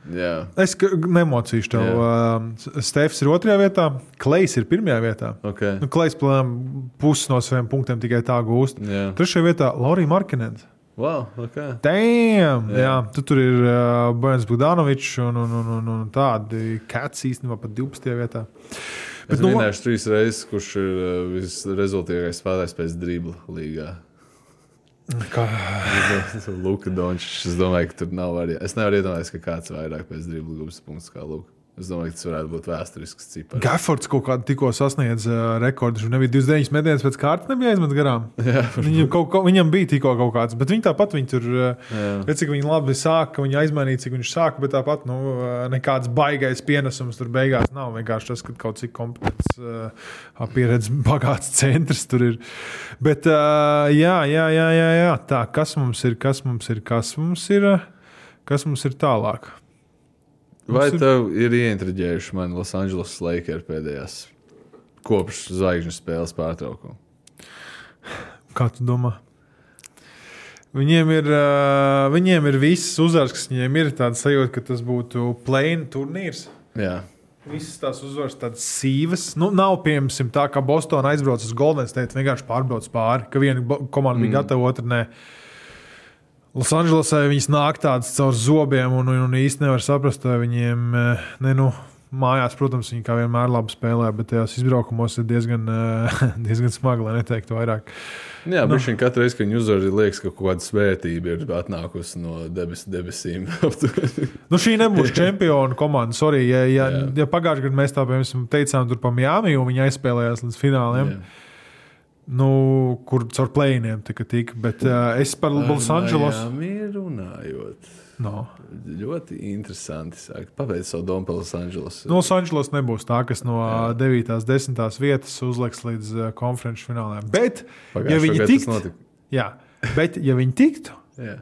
Jā. Es nemocīšu tev. Uh, Stefs ir otrajā vietā, Klejs ir pirmajā vietā. Okay. Nu, Klejs pusi no saviem punktiem tikai tā gūst. Jā. Trešajā vietā Laurija Markinens. Wow, okay. Damn! Jā. Jā, tu tur ir uh, Bojans Bogdanovičs un, un, un, un, un tādi Cats īstenībā pat divpadsmitajā vietā. Es Bet, minēšu nu, trīs reizes, kurš ir uh, visrezultīgākais spēlētājs pēc dribla līgā. Kā? Luka Dončičs. Es domāju, ka tur nav arī. Es nevaru iedomāties, ka kāds vairāk pēc dribla gūs punktus kā Luka. Es domāju, ka tas varētu būt vēsturisks cipars. Gaffords kaut kādu tikko sasniedz uh, rekordu. Viņš nebija divdesmit deviņas metienus pēc kārtas, nebija aizmet garām. Jā, viņam, kaut, kaut, viņam bija tikko kaut kāds, bet viņi tāpat viņi tur, redz, cik viņi labi sāka, viņi aizmainīja, cik viņš sāka, bet tāpat nu, nekāds baigais pienesums tur beigās nav. Vienkārši tas, ka kaut cik kompetents, uh, pieredz bagāts centrs tur ir. Bet uh, jā, jā, jā, jā, jā, tā, kas mums ir, kas mums ir, kas mums ir, kas mums ir tālāk? Vai tev ir ieintriģējuši mani Los Angeles Lakers pēdējās kopš zvaigžņu spēles pārtraukuma? Kā tu domā? Viņiem ir, uh, viņiem ir viss uzvars, kas viņiem ir tāds sajūta, ka tas būtu play-in turnīrs. Jā. Visas tās uzvaras tādas sīvas. Nu, nav, piemēram, tā, ka Bostona aizbrauc uz Golden State, vienkārši pārbrauc pāri, ka viena komanda bija mm. gatava, otra nē. Losandželosai viņas nāk tādas caur zobiem un, un īsti nevar saprast, vai viņiem, ne, nu, mājās, protams, viņi kā vienmēr labi spēlē, bet tajās izbraukumos ir diezgan, diezgan smagi, lai neteiktu vairāk. Jā, bet nu. Katru reizi, kad viņi uzvar, liekas, ka kaut kāda svētība ir atnākusi no debes, debesīm. Nu, šī nebūs čempionu komanda, sorry, ja, ja, ja pagājušajā gadā mēs tā, piemēram, teicām tur pa Miami, un viņi aizspēlējās līdz fināliem. Jā. Nu, kur caur plēniem tika tika, bet uh, es par Los Angeles. Jā, mīri runājot. No. Ļoti interesanti sāk. Pabeidz savu domu par Los Angeles. No Los Angeles nebūs tā, kas no jā. devītās, desmitās vietas uzliks līdz uh, konferenču fināliem. Bet, Pagājušo ja viņi tiktu, jā, bet, ja viņi tiktu, jā.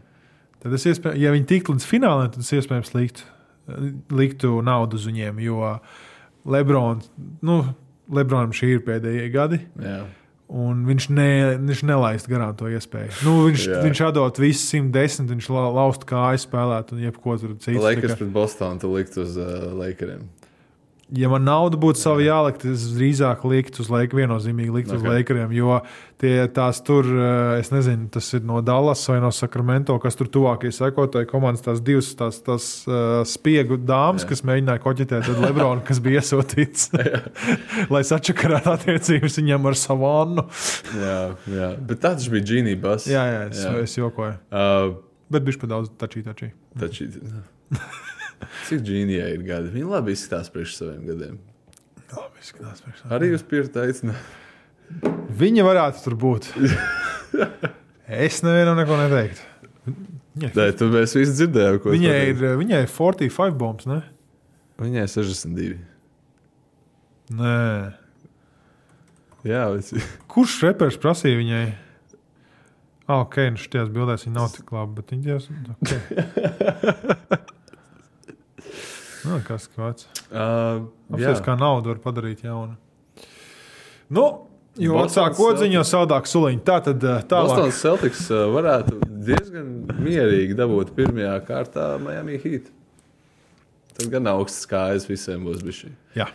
tad es iespējams, ja viņi tiktu līdz fināliem, tad es iespējams liktu, liktu naudu uz viņiem, jo Lebron, nu, Lebronam šī ir pēdējie gadi. Jā. Un viņš, ne, viņš nelaist garām to iespēju. Nu, viņš, viņš atdot visu simt desmit, viņš la, laust kāju spēlēt un jebko tur citu. Lakers pret Bostonu tu likt uz uh, Lakeriem. Ja man nauda būtu savu jālikt, es drīzāk likt uz Lakeriem, viennozīmīgi likt okay. uz Lakeriem, jo tie tās tur, es nezinu, tas ir no Dallas vai no Sacramento, kas tur tuvākie sekotāji komandas, tās divas tās, tās uh, spiegu dāmas, jā. Kas mēģināja koķetēt, tad Lebronu, kas bija iesūtīts, lai sačakarētu attiecības viņam ar Savannu. jā, jā, bet tāds bija Genie Bus. Jā, jā, es, jā. es jokoju. Uh, bet bišķi pa daudz tačī, tačī. Tačī, cik Džīnijai ir gadi? Viņa labi izskatās priekš saviem gadiem. Labi izskatās priekš saviem. Arī jūs Pirta aicināt? Viņa varētu tur būt. Es nevienam neko neteiktu. Nē, tu mēs visi dzirdējām, ko viņai ir. Viņai ir četrdesmit pieci bombs, ne? Viņai ir sešdesmit divi. Nē. Jā, visi. Kurš repers prasīja viņai? Ah, ok, nu šitās bildēs viņa nav tik labi, bet viņa tās... Ok. Nu, kas kāds. Uh, Apsies, kā naudu var padarīt jaunu. Nu, jo atsāk kodziņu, jo saldāk suliņu. Tā tad tālāk. Bostonas Celtics varētu diezgan mierīgi dabūt pirmajā kārtā Miami Heat. Tas gan augsts kājas visiem būs bišķi. Jā.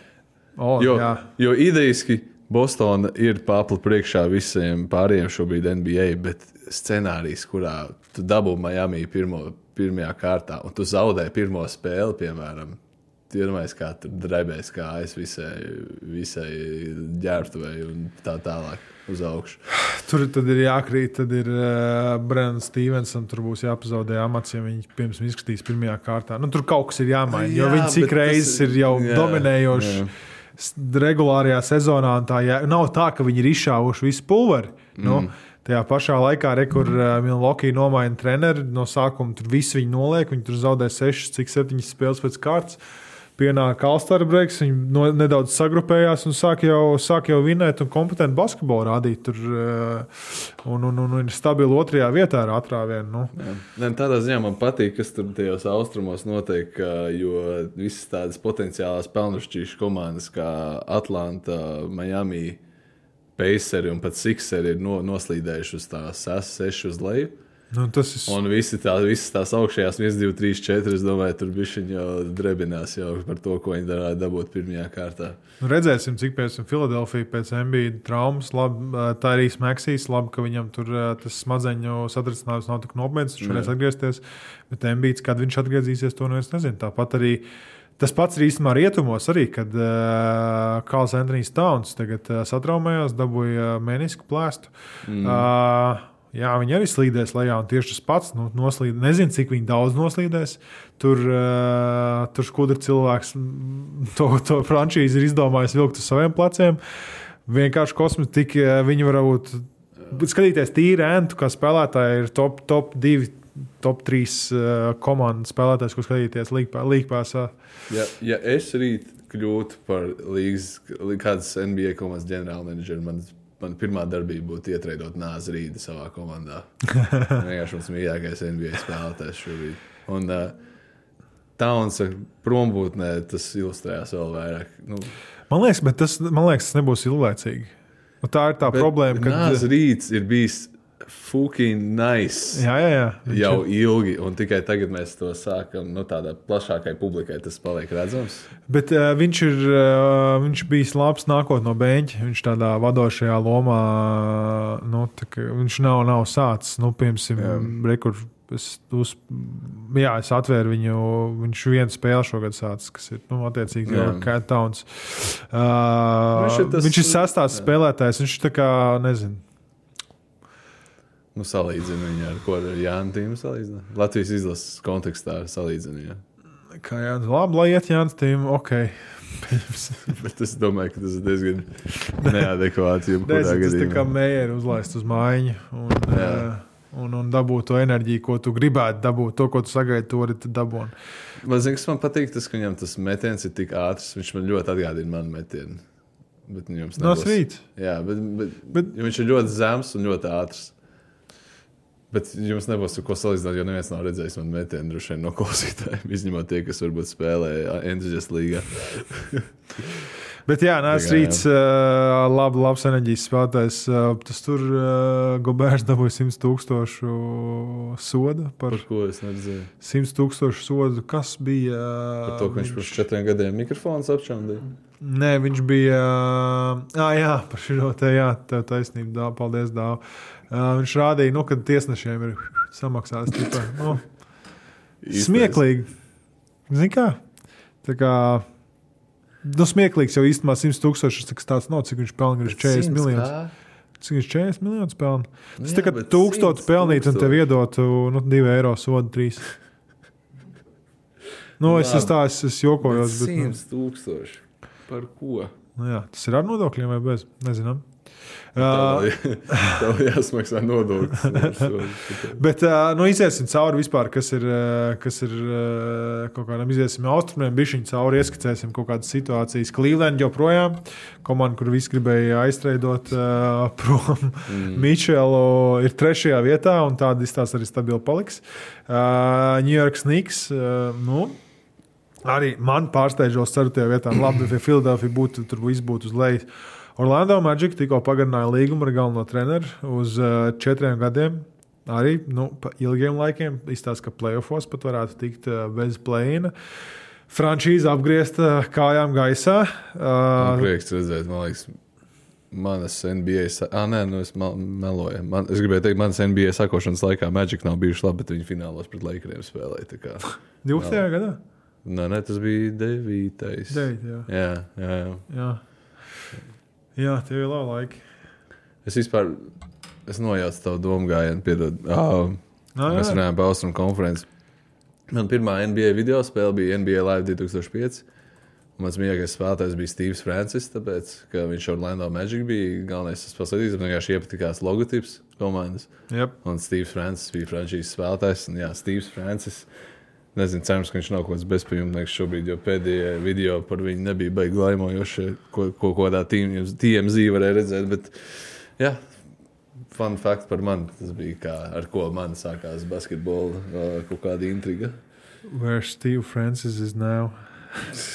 O, jo, jā. Jo idejiski Bostona ir papli priekšā visiem pārējiem šobrīd N B A, bet scenārijs, kurā tu dabū Miami pirmo pirmajā kārtā, un tu zaudē pirmo spēli, piemēram, tu iedomājies, kā tur drebēs kājas visai, visai ģērbtuvei un tā tālāk uz augšu. Tur tad ir jākrīt, tad ir uh, Brennan Stevensam, tur būs jāpazaudē amats, ja viņi, piemēram, izskatīs pirmajā kārtā. Nu, tur kaut kas ir jāmaina, jo viņi cik reizes ir jau jā, dominējoši jā. Regulārajā sezonā, un tā jā, nav tā, ka viņi ir izšāvuši visu pulveri. Mm. Nu, tajā pašā laikā, re, kur uh, Milwaukee nomaina treneri, no sākuma tur visi viņi noliek, viņi tur zaudē sešas, cik septiņas spēles pēc kārtas. Pienāk All-Star breaks, viņi no, nedaudz sagrupējās un sāk jau, sāk jau vinēt un kompetentu basketbolu rādīt. Tur, uh, un, un, un ir stabili otrajā vietā ar atrāvienu. Nu. Ne, tādā ziņā man patīk, kas tur tajos austrumos notiek, jo visas tādas potenciālās pelnušķīšu komandas kā Atlanta, Miami, Paceri un pat Sixeri ir no, noslīdējuši uz tās seši uz leju. Nu, tas ir... Un visi tā, visas tās augšējās viens, divi, trīs, četri, es domāju, tur bišķiņ jau drebinās jau par to, ko viņi darāja dabūt pirmajā kārtā. Nu, redzēsim, cik pēc Filadelfija pēc Embiida traumas, labi, tā arī Maxijs, labi, ka viņam tur tas smadzeņu satricinājums nav tik nopietns, viņš varēs atgriezties, bet Embiids, kad viņš atgriezīsies, to neviens nezinu. Tāpat arī tas pats ir īstenībā rietumos arī, kad uh, Karls Anthonijs Towns tagad uh, satraumējās, dabūja menisku plēstu. Mm. Uh, Jā, viņi arī slīdēs lejā, un tieši tas pats nu, noslīd. Nezinu, cik viņi daudz noslīdēs. Tur, uh, tur skudra cilvēks to, to frančīzi ir izdomājis vilkt uz saviem pleciem. Vienkārši kosmētiski viņi varbūt skatīties tīri entu, kā spēlētāji ir top, top divi, top trīs uh, komandas spēlētājs, ko skatīties līgpāsā. Ja, ja es rīt kļūtu par līgas, kādas N B A komandas ģenerālmenedžeru, man, man pirmā darbība būtu ietreidot Nāzi Rīdi savā komandā. Vienkārši mums mīļākais N B A spēlētājs šobrīd. Un uh, Towns prombūtnē tas ilustrējās vēl vairāk. Nu, man liekas, bet tas, man liekas, tas nebūs ilglaicīgi. Un tā ir tā problēma, ka Nāzi Rīds ir bijis fucking nice. Jā, jā, jā. Jau ilgi, un tikai tagad mēs to sākam, nu tādā plašākai publikai tas paliek redzams. Bet uh, viņš ir uh, viņš bijis labs nākot no beņķa. Viņš tādā vadošajā lomā, nu, tā, viņš nav, nav sācis, nu, piemēram, rekur, es, uz, jā, es atvēru viņu, viņš vienu spēli šogad sācis, kas ir, nu, attiecīgi jau Cat Towns. Uh, viņš ir, tas, viņš ir sastās spēlētājs, viņš tā kā, nezinu, Nu, salīdzinu viņu ar ko ar Jānu tīmu salīdzinu. Latvijas izlases kontekstā salīdzinu, jā. Kā Jānis, labi, lai iet Jānis tīmu, ok. Bet es domāju, ka tas ir diezgan neadekvāti. Tas tā kā mēri uzlaist uz mājiņu un, uh, un, un dabūt to enerģiju, ko tu gribētu dabūt. To, ko tu sagaidi, to arī dabū. Man zin, kas man patīk, tas, ka viņam tas metiens ir tik ātrs. Viņš man ļoti atgādina manu metienu. Bet jums nebūs. No svīt. Jā, bet, bet, bet viņš ir ļoti zems un ļoti ātrs. Bet jums nebūs ko salīdzināt, jo neviens nav redzējis man metienu droši vien no klausītājiem, izņemot tie, kas varbūt spēlē entuziastu līgā. Bet jā, Nācis Rīds, uh, labi, labs enerģijas spēlētājs. Uh, tas tur uh, Gobērs dabūja simt tūkstošu sodu. Par, par ko es neredzēju? simt tūkstošu sodu. Kas bija? Uh, par to, ka viņš pirms četriem gadiem mikrofons apšaundīja? Nē, viņš bija... Uh, jā, par šito te, jā, tev taisnība, dā, paldies, dāv. Uh, viņš rādīja, nu, kad tiesnešiem ir samaksās. Tipa, nu, smieklīgi. Zini kā? Tā kā... Nu, smieklīgs jau īstenībā simt tūkstoši, tas tāds nav, cik viņš pelna, viņš četrdesmit miljonus. Cik viņš četrdesmit miljonus pelna? Tas jā, tā kā tūkstotu pelnīt un tev iedotu, nu, divi eiro sodu, trīs. Nu, es esmu tā, es, es jokojos. Bet, bet, simt tūkstoši. Par ko? Nu, jā, tas ir ar nodokļiem vai bez? Nezinām. Uh, Tev jāsmaksā nodokļus. Bet, uh, nu, iziesim cauri vispār, kas ir, kas ir kaut kādam iziesim austrumiem, bišķiņ cauri ieskicēsim kaut kādas situācijas. Cleveland joprojām, komanda, kur visi gribēja aiztreidot uh, prom mm. Mičelu, ir trešajā vietā, un tāda izstās arī stabili paliks. Uh, New York Knicks, uh, nu, arī man pārsteidžos ceturtajā vietā. Labi, ja Philadelphia būtu, tur viss būtu uz lejas. Orlando Magic tikko pagarināja līgumu ar galveno treneru uz uh, četriem gadiem. Arī nu, pa ilgiem laikiem izstāsta, ka playoffos pat varētu tikt uh, bez play-ina. Frančīze apgriezta kājām gaisā. Uh, man prieks redzēt, man liekas, manas N B A... Ah, nē, nu es meloju. Man, es gribēju teikt, manas N B A sakošanas laikā Magic nav bijuši labi, bet viņi finālos pret Lakeriem spēlēja. divdesmitajā gadā? Nē, nē, tas bija devītais. Devīt, jā. Jā, jā, jā. jā. Jā, tev ir labi laiki. Es vispār, es nojaucu tavu domu gājienu, piedod. Oh, no, mēs runājām par Austrumu konferenci. Man pirmā N B A video spēle bija N B A Live divi tūkstoši pieci. Mans mīļākais spēlētājs bija Steves Francis, tāpēc, ka viņš Orlando Magic bija galvenais spēlētājs. Man vienkārši iepatikās logotips komandas. Yep. Un Steves Francis bija frančīzes spēlētājs. Un jā, Steves Francis... Nezinu, cerams, ka viņš nav kaut kāds bezpajumtnieks šobrīd, jo pēdējie video par viņu nebija baigi laimojoši, ko, ko kādā T M Z varēja redzēt. Bet, jā, fun fact par mani, tas bija kā, ar ko man sākās basketbola kaut kāda intriga. Where Steve Francis is now?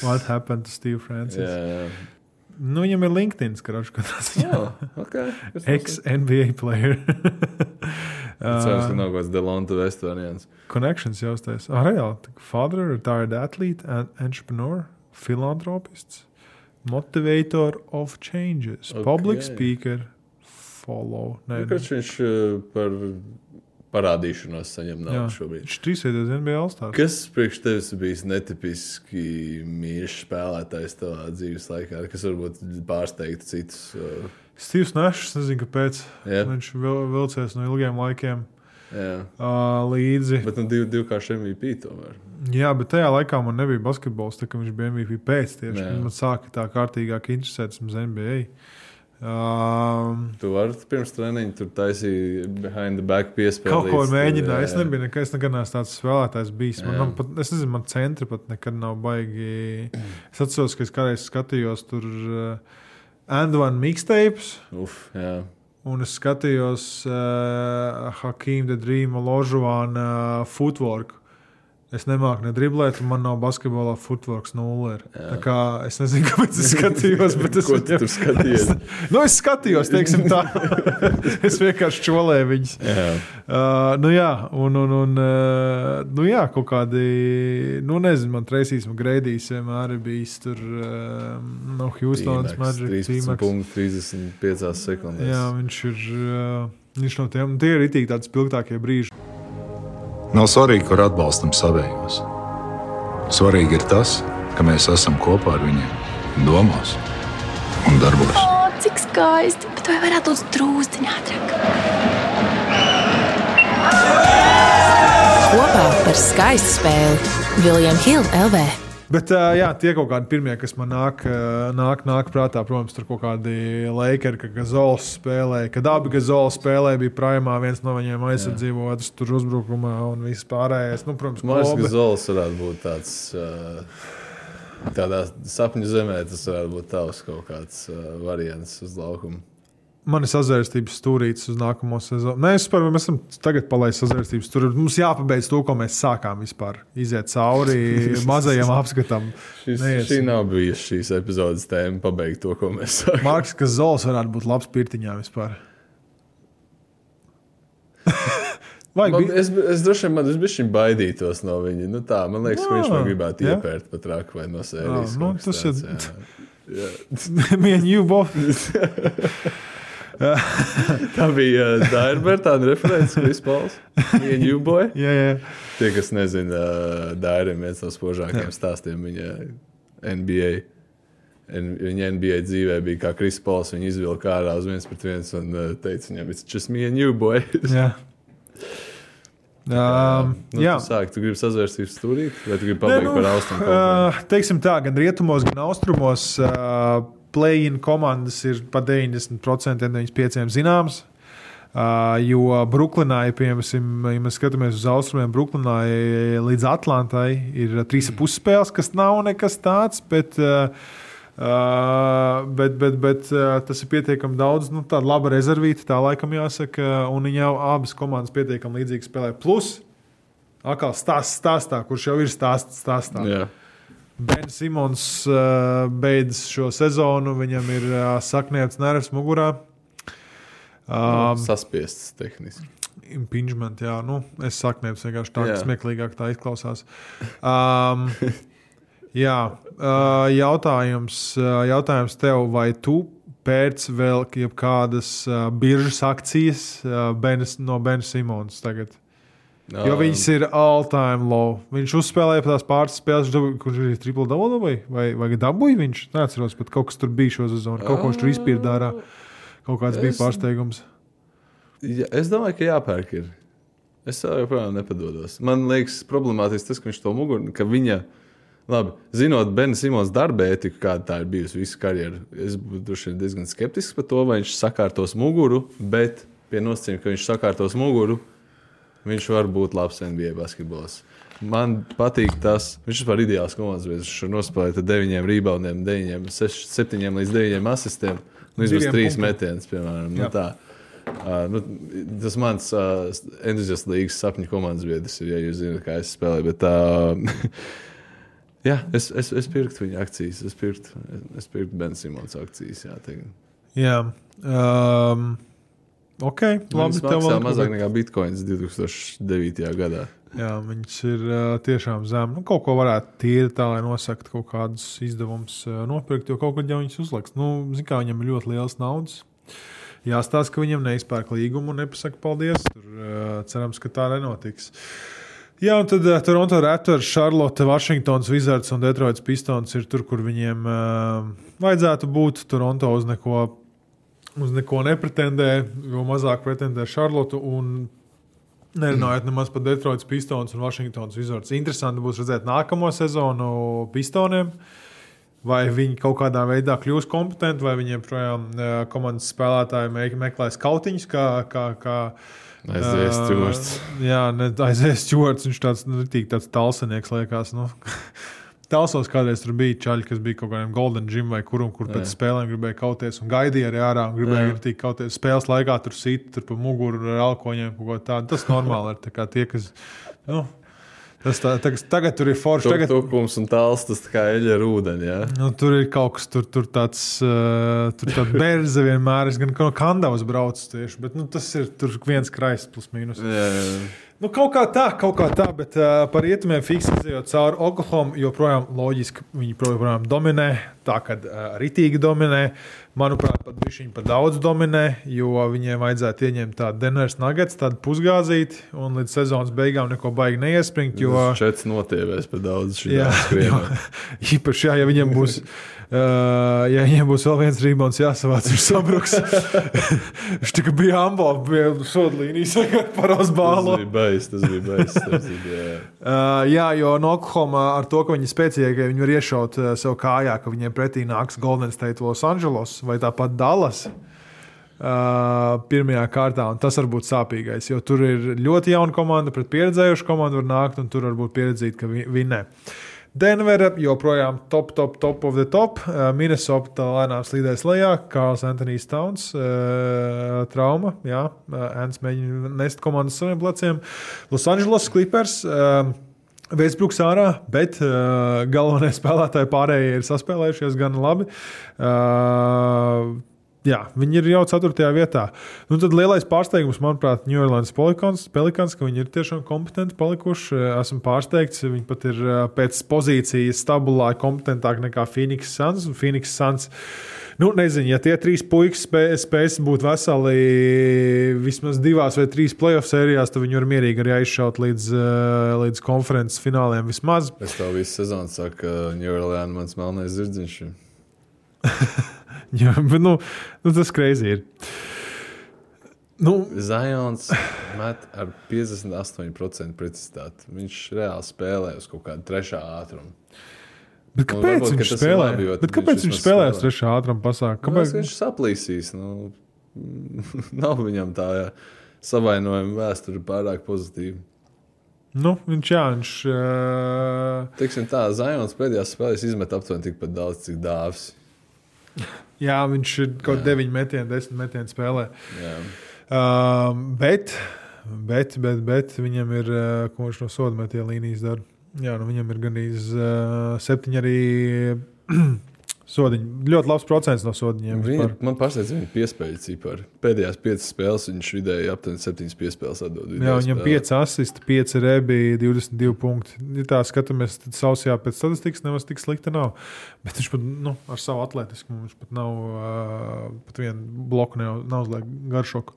What happened to Steve Francis? Jā, jā. Nu, viņam ir LinkedIn, skarošu, ka tas ir oh, okay. ex-N B A player. Cerams, ka nav kaut kāds Delonta West variants. Connections jāuztais. Ah, reāli. Father, retired athlete, entrepreneur, philanthropist, motivator of changes, okay. Public speaker, follow. Nē, nu, kāds viņš par parādīšanos saņem naudu šobrīd. Viņš trīsreiz N B A All-Stars. Kas priekš tevis bijis netipiski mīļš spēlētājs tavā dzīves laikā, kas varbūt pārsteigtu citus? Steve's Nashs, nezinu, kāpēc. Jā. Viņš vil, vilcies no ilgiem laikiem Jā. uh, līdzi. Bet nu div, divkārši M V P tomēr. Jā, bet tajā laikā man nebija basketbols, tā kā viņš bija M V P pēc tieši. Jā. Man sāka tā kārtīgāk interesēt uz N B A. Um, Tu vari pirms treniņa tur taisīja behind the back piespēlīt. kaut ko mēģināju. Es nebiju nekad, es nekad neesmu tāds spēlētājs bijis. Man, man pat, es nezinu, man centri pat nekad nav baigi. Es atceros, ka es kādreiz skatījos tur uh, And One mixtapes. Uf, jā. Un es skatījos uh, Hakeem the Dream Olajuwon uh, footwork. Es nemāku ne driblēt, un man nav basketbolā footworks nulle. Tā kā es nezinu, kāpēc es skatījos, bet es... Ko tu tur skatījies? Nu, es skatījos, teiksim tā. Es vienkārši čolēju viņus. Jā. Uh, nu jā, un, un, un uh, nu jā, kaut kādi, nu nezinu, man Tracy's McGrady's vienmēr ir bijis tur uh, no Houston's Magic. trīsdesmit punkti, trīsdesmit piecās sekundēs. Jā, viņš ir, uh, viņš no tiem, tie ir itīgi tādi spilgtākie brīži. Nav svarīgi, kur atbalstam savējos. Svarīgi ir tas, ka mēs esam kopā ar viņiem domās un darbos. O, cik skaisti, bet vai varētu būt drūzdiņā ātrāk? Kopā par skaistu spēli William Hill L V. Bet jā, tie kaut kādi pirmie, kas man nāk, nāk, nāk prātā, protams, tur kaut kādi Lakeri, ka Gazols spēlēja, kad abi Gazols spēlēja, bija primā, viens no viņiem aizsardzību, otrs tur uzbrukumā un viss pārējais. Nu, protams, Mārs Gazols varētu būt tāds, tādā sapņu zemē, tas varētu būt tavs kaut kāds variants uz laukumu. Man ir sazvērstības stūrītis uz nākamo sezonu. Nē, es par, mēs esam tagad palaist sazvērstības stūrītis. Mums jāpabeidz to, ko mēs sākām vispār. Iziet cauri mazajam apskatam. Šis, šī nav bijusi šīs epizodes tēma, pabeigt to, ko mēs sākām. Marks Gazols varētu būt labs pirtiņā vispār. Man, es, es droši vien man bišķiņ baidītos no viņa. Nu tā, man liekas, jā, ka viņš man gribētu jā. iepērt pat raku vai no sērijas. Jā, nu, tas tāds, ir... Me and you both. Tā bija uh, Dairbertāna referents, Chris Pauls. Me and you boy. Jā, jā. Tie, kas nezina, uh, Dairim viens no spožākajiem stāstiem viņa N B A. En, viņa N B A dzīvē bija kā Chris Pauls. Viņa izvilka ārā uz viens pret viens un uh, teica viņam, it's just me and you boy. Jā. Um, nu, jā. Tu sāki, tu gribi sazvērstības stūrīt? Vai tu gribi pabeigt nu, par austrumu? Uh, teiksim tā, gan rietumos, gan austrumos uh, play-in komandas ir pa deviņdesmit procenti, deviņdesmit pieci procenti zināms. Uh, jo Bruklinā, ja, piemēram, ja mēs skatāmies uz austrumiem, Bruklinā līdz Atlantai ir trīs pus spēles, kas nav nekas tāds, bet, uh, uh, bet, bet, bet uh, tas ir pietiekami daudz, nu, tāda laba rezervīta, tā laikam jāsaka, un viņa jau abas komandas pietiekami līdzīgi spēlē. Plus, atkal stāsts stāstā, kurš jau ir stāsts stāstā. Jā. Ben Simons uh, beidz šo sezonu, viņam ir uh, sakniets nervs mugurā. Um, Saspiests tehniski. Impingement, jā. Nu, es sakniets vienkārši tā, ka smieklīgāk tā izklausās. Um, jā, uh, jautājums, uh, jautājums tev, vai tu pēc vēl jebkādas uh, biržas akcijas uh, ben, no Ben Simons tagad? Jo viņas ir all-time low. Viņš uzspēlēja tās pāris spēles, kurš ir triple double vai, vai, vai dabūja viņš. Neatceros, pat kaut kas tur bija šo sezonu. Kaut ko viņš tur izpīrdārā. Kaut kāds es, bija pārsteigums. Ja, es domāju, ka jāpērk ir. Es joprojām nepadodos. Man liekas problemātiski tas, ka viņš to muguru, ka viņa, labi, zinot Ben Simons darba ētiku, kāda tā ir bijusi visu karjeru, es būtu diezgan skeptisks par to, vai viņš sakārtos muguru, bet pie nosacījuma, ka viņš sakārtos muguru, viņš var būt labs N B A basketbols. Man patīk tas, viņš ir ideāls komandas, viņš nospēlēja deviņiem reboundiem, deviņiem, seš, septiņiem līdz deviņiem asistiem, nu izbūs trīs metienus, piemēram. Nu, tā. Uh, nu, tas mans uh, entuziasts līgas sapņu komandas biedrs ir, ja jūs zināt, kā es spēlēju, bet uh, jā, es, es, es pirktu viņa akcijas, es pirktu, es pirktu Ben Simons akcijas, jā, tagad. Jā, um... Ok, labi. Viņas maksā mazāk nekā bitcoins divtūkstoš devītajā gadā. Jā, viņas ir uh, tiešām zem. Nu, kaut ko varētu tīri tā, lai nosakt kaut kādus izdevumus uh, nopirkt, jo kaut kad jau viņas uzliks. Nu, zin kā, viņam ir ļoti liels naudas. Jāstāsta, ka viņam neizpērk līgumu un nepasaka paldies. Tur uh, cerams, ka tā nenotiks. Jā, un tad uh, Toronto Raptors, Charlotte, Washingtons Wizards un Detroits Pistons ir tur, kur viņiem uh, vajadzētu būt. Toronto uz neko uz neko nepretendē, jo mazāk pretendē Šarlotu un nerunājot nemaz par Detroitas Pistons un Vašingtonas Wizards. Interesanti būs redzēt nākamo sezonu Pistoniem, vai viņi kaut kādā veidā kļūs kompetenti, vai viņiem projām komandas spēlētāji meklēs kautiņus, kā, kā, kā Aizies Stewarts. Uh, jā, ne, aizies Stewarts, viņš tāds, nu, tāds talsenieks liekas, nu. Talsos kādreiz tur bija čaļi, kas bija kaut kādiem Golden Gym vai kurum, kur pēc spēlēm gribēja kauties un gaidīja arī ārā un gribēja ritīgi kauties. Spēles laikā tur sit, tur pa muguru ar alkoņiem, kaut ko tādu. Tas normāli ir tā kā tie, kas, nu, tas tā, tagad, tagad tur ir forši. Tagad tukums un tāls, tas tā kā eļa ar ūdeni, jā? Nu, tur ir kaut kas, tur, tur tāds, uh, tur tāda berze vienmēr, es gan no Kandavas braucu tieši, bet, nu, tas ir tur viens kraists plus mīnus. Jā, jā. Nu, kaut kā tā, kaut kā tā, bet uh, par rietumiem fiksi izējot cauri Oklahoma, joprojām loģiski viņi joprojām dominē, tā kad uh, ritīgi dominē. Manuprāt, pat bišķiņi par daudz dominē, jo viņiem vajadzētu ieņemt tādu Denvers Nuggets, tādu pusgāzīti, un līdz sezonas beigām neko baigi neiespringt, jo... Čets notievēs par daudz šī jā, jo, īpaši, jā, ja viņiem būs, uh, ja viņiem būs vēl viens rebounds jāsavāc, viņš sabruks. Viņš tika bija ambal, bija sodlīnijas, paros bālo. Tas bija bais, tas bija bais. Tas bija, jā. Uh, jā, jo no Oklahoma ar to, ka viņi spēcīgi, ka viņi var iešaut uh, sev kājā, ka viņiem pretī nāks Golden State Los Angeles vai tāpat Dallas uh, pirmajā kārtā, un tas var būt sāpīgais, jo tur ir ļoti jauna komanda, pret pieredzējušu komandu var nākt, un tur var būt pieredzīt, ka vi- vinnē. Denvera joprojām top, top, top of the top. Uh, Minnesota lēnām slīdēs lejā, Karls Anthonijs Towns, uh, trauma, jā, uh, Ants mēģina nest komandas saviem pleciem. Los Angeles Clippers, uh, Westbrooks ārā, bet uh, galvenie spēlētāji pārējie ir saspēlējušies gan labi. Uh, jā, viņi ir jau ceturtajā vietā. Nu, tad lielais pārsteigums, manuprāt, New Orleans Pelicans, Pelicans, ka viņi ir tiešām kompetenti palikuši. Esmu pārsteigts, viņi pat ir uh, pēc pozīcijas stabulā kompetentāk nekā Phoenix Suns. Un Phoenix Suns, nu, nezinu, ja tie trīs puikas spēj, spējas būt veseli vismaz divās vai trīs playoff sērijās, tad viņi var mierīgi arī aizšaut līdz, līdz konferences fināliem vismaz. Es tev visu sezonu saku, ka New Orleans mans melnais zirdziņš. Jā, bet, nu, nu, tas crazy ir. Nu, Zions met ar piecdesmit astoņi procenti precizitāti. Viņš reāli spēlē uz kaut kādu trešā ātrumu. Bet kāpēc nu, varbūt, viņš ka spēlē? labi, Bet kāpēc viņš spēlē uz trešā ātruma pasāku? Kāpēc viņš saplīsīs? Nu, nav viņam tā jā, savainojuma vēsture pārāk pozitīva. Nu, viņš jā, viņš... Uh... Teiksim tā, Zions pēdējās spēlēs izmet aptuveni tikpat daudz, cik Dāvis. Jā, viņš ir kaut deviņi metieni, desmit metieni spēlē. Jā. Uh, bet, bet, bet, bet viņam ir, uh, ko viņš no soda metie līnijas dara. Jā, nu viņam ir gandrīz uh, septiņi arī sodiņi. Ļoti labs procents no sodiņiem. Viņa, man pārsteidz viņa piespēļu cipari. Pēdējās piecas spēles viņš vidēji aptuveni septiņas piespēles atdod. Jā, viņam pieci asisti, pieci rebi, divdesmit divi punkti. Ja tā skatāmies, tad sausajā pēc statistikas nemaz tik slikta nav. Bet viņš pat, nu, ar savu atletiskumu, viņš pat nav, uh, pat vienu bloku nav, nav uzliek garšoku,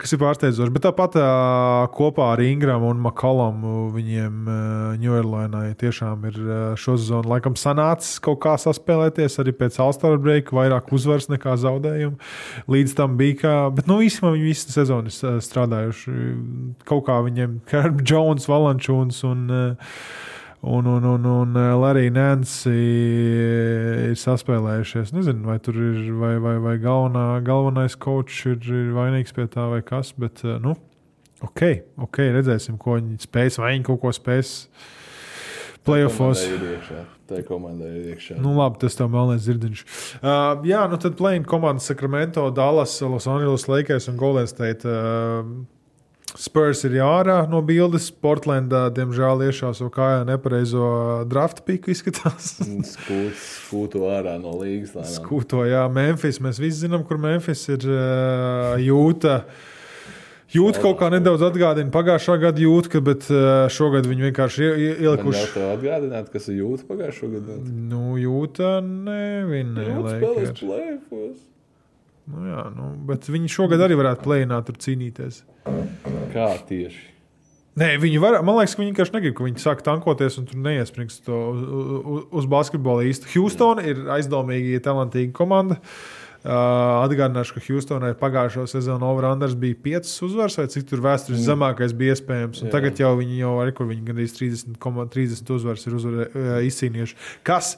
kas ir pārsteidzoši. Bet tāpat uh, kopā ar Ingramu un McCollumu viņiem uh, New Orleansai tiešām ir uh, šo sezonu laikam sanācis kaut kā saspēlēties arī pēc All-Star breaka, vairāk uzvars nekā zaudējumu. Līdz tam bija kā, bet nu īstenībā viņi visu sezonu ir strādājuši. Kaut kā viņiem Herb Jones, Valančūns un Un, un, un, un Larry Nance ir saspēlējušies. Nezinu, vai tur ir vai, vai, vai galvenā, galvenais coach ir, ir vainīgs pie tā vai kas, bet, nu, ok, ok, redzēsim, ko viņi spēs, vai viņi kaut ko spēs playoffos. Tā komanda ir iekšā. Nu, labi, tas tev melnais dzirdiņš. Uh, jā, nu tad play-in komandas Sacramento, Dallas, Los Angeles Lakers un Golden State. Uh, Spurs ir jārā no bildes. Portlandā, diemžēl, iešā savu kājā nepareizo draft piku izskatās. Skūt, skūto ārā no līgas. Lēnām. Skūto, jā. Memphis, mēs visi zinām, kur Memphis ir uh, jūta. Jūta kaut kā nedaudz atgādina pagājušā gada jūta, bet uh, šogad viņi vienkārši ielikuši. Man jau tev atgādināt, kas ir jūta pagājušā gada? Nu, jūta nevinē. Jūta spēlēs play-offos. Nu, jā, nu, bet viņi šogad arī varētu play-ināt tur cīnīties. Kā tieši? Nē, viņi var, man liekas, ka viņi vienkārši negrib, ka viņi sāk tankoties un tur neiesprings to uz, uz basketbolu īsti. Houston ir aizdomīgi talantīga komanda. Uh, atgādināšu, ka Houstonai pagājušo sezonu over-unders bija piecas uzvaras, vai cik tur vēstures mm. zemākais bija iespējams. Un jā. Tagad jau viņi jau arī, kur viņi gandrīz trīsdesmit, trīsdesmit uzvaras ir uzvar, uh, izcīnījuši. Kas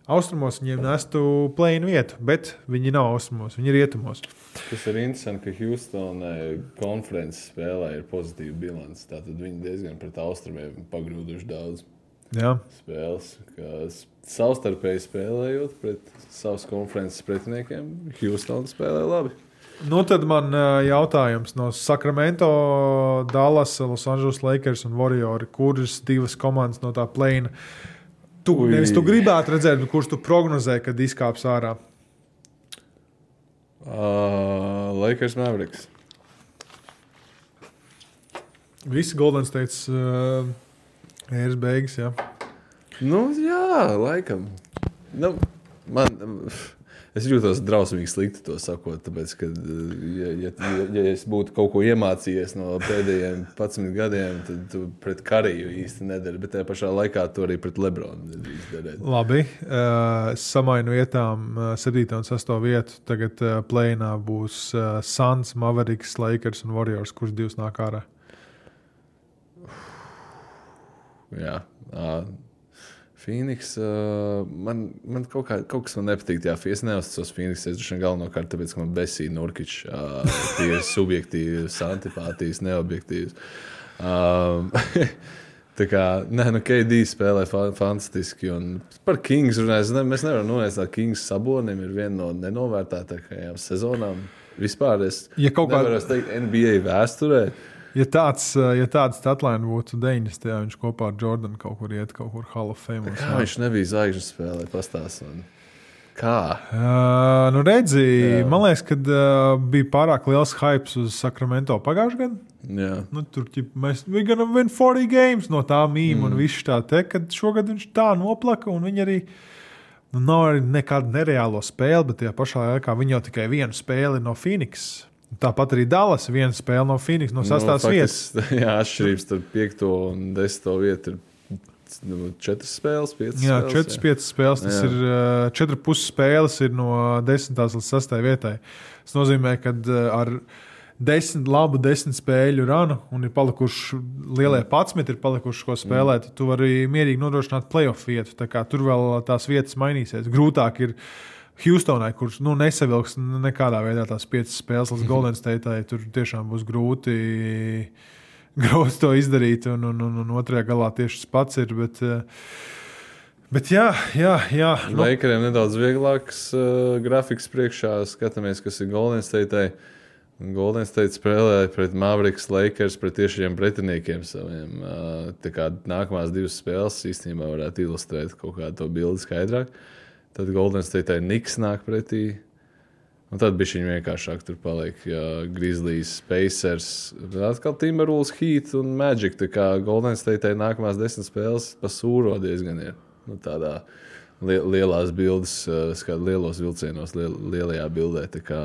austrumos viņiem nestu play-in vietu, bet viņi nav austrumos, viņi ir rietumos. Tas ir interesanti, ka Houstonai konferences spēlē ir pozitīva bilance. Tātad viņi diezgan pret austrumiem pagrūduši daudz jā. Spēles. Savstarpēji spēlējot pret savas konferences pretiniekiem, Houston spēlē labi. Nu, tad man jautājums no Sacramento, Dallas, Los Angeles Lakers un Warriori, kuras divas komandas no tā play-in Tu, nevis tu gribētu redzēt, kurš tu prognozē, kad izkāps ārā? Uh, Lakers Mavericks. Visi Golden States uh, ēras beigas, jā. Nu, jā, laikam. Nu, man... Es jūtos drausmīgi slikti to sakot, tāpēc, ka, ja, ja, ja es būtu kaut ko iemācījies no pēdējiem padsmit gadiem, tad tu pret Kariju īsti nedari, bet tajā pašā laikā tu arī pret Lebronu nedrīkst darīt. Labi, uh, samainu vietām uh, septīto un sesto vietu. Tagad uh, play-inā būs uh, Suns, Mavericks, Lakers un Warriors, kurš divs nāk ārā. Jā, uh, Phoenix, uh, man, man kaut, kā, kaut kas man nepatīk tajā Phoenix. Es neuzticos Phoenix, es droši vien galvenokārt, tāpēc, ka man besīja Nurkič. Uh, tie ir subjektīvas, antipātijas, neobjektīvas. Um, tā kā, nē, nu, K D spēlē fa- fantastiski. Un par Kings runājas, ne, mēs nevaram nonēst, ka Kings Sabonim ir viena no nenovērtātākajām sezonām. Vispār es ja kā... nevaru teikt N B A vēsturē. Ja tāds, ja tāds statline būtu deviņdesmitajā, viņš kopā ar Jordanu kaut kur iet, kaut kur Hall of Fame. Kā viņš nebija zvaigžņu spēlē, pastāst man. Kā? Uh, nu redzi, jā. Man liekas, kad uh, bija pārāk liels hypes uz Sacramento pagājušajā gadā. Jā. Nu, tur ķip, mēs we gonna win forty games no tā mīm mm. un viss tā te, kad šogad viņš tā noplaka un viņi arī nu, nav arī nekādu nereālo spēli, bet tajā pašā laikā viņi jau tikai vienu spēli no Phoenix. Tāpat arī Dallas viena spēle no Phoenix, no sastās nu, vietas. Jā, atšķirības starp piekto un desmito vietu ir nu, četras spēles, piecas jā, spēles. Četras, jā, piecas spēles. Tas jā. ir četri puses spēles ir no desmitās līdz sastai vietai. Tas nozīmē, ka ar desmit, labu desmit spēļu ranu un ir palikuši lielie padsmit, ir palikuši ko spēlēt, mm. tu vari mierīgi nodrošināt playoff vietu. Tā kā tur vēl tās vietas mainīsies. Grūtāk ir Houstonai, kurš nu, nesavilks nekādā veidā tās piecas spēles līdz Golden Stateai, tur tiešām būs grūti, grūti to izdarīt, un, un, un, un otrajā galā tieši tas pats ir. Bet, bet jā, jā, jā. Nu. Lakeriem nedaudz vieglāks uh, grafiks priekšā, skatāmies, kas ir Golden Stateai. Golden State spēlē pret Mavericks, Lakers, pret tiešiem pretiniekiem saviem. Uh, tā kā nākamās divas spēles īstenībā varētu ilustrēt kaut kādu to bildi skaidrāk. Tad Golden Stateai Knicks nāk pretī. Un tad bija viņa vienkāršāk tur paliek. Ja Grizzlies, Pacers, atkal Timberwolves, Heat un Magic. Tā kā Golden Stateai nākamās desmit spēles pa sūro diezgan ir. Nu, tādā li- lielās bildes, skāt lielos vilcienos, liel- lielajā bildē. Tā kā,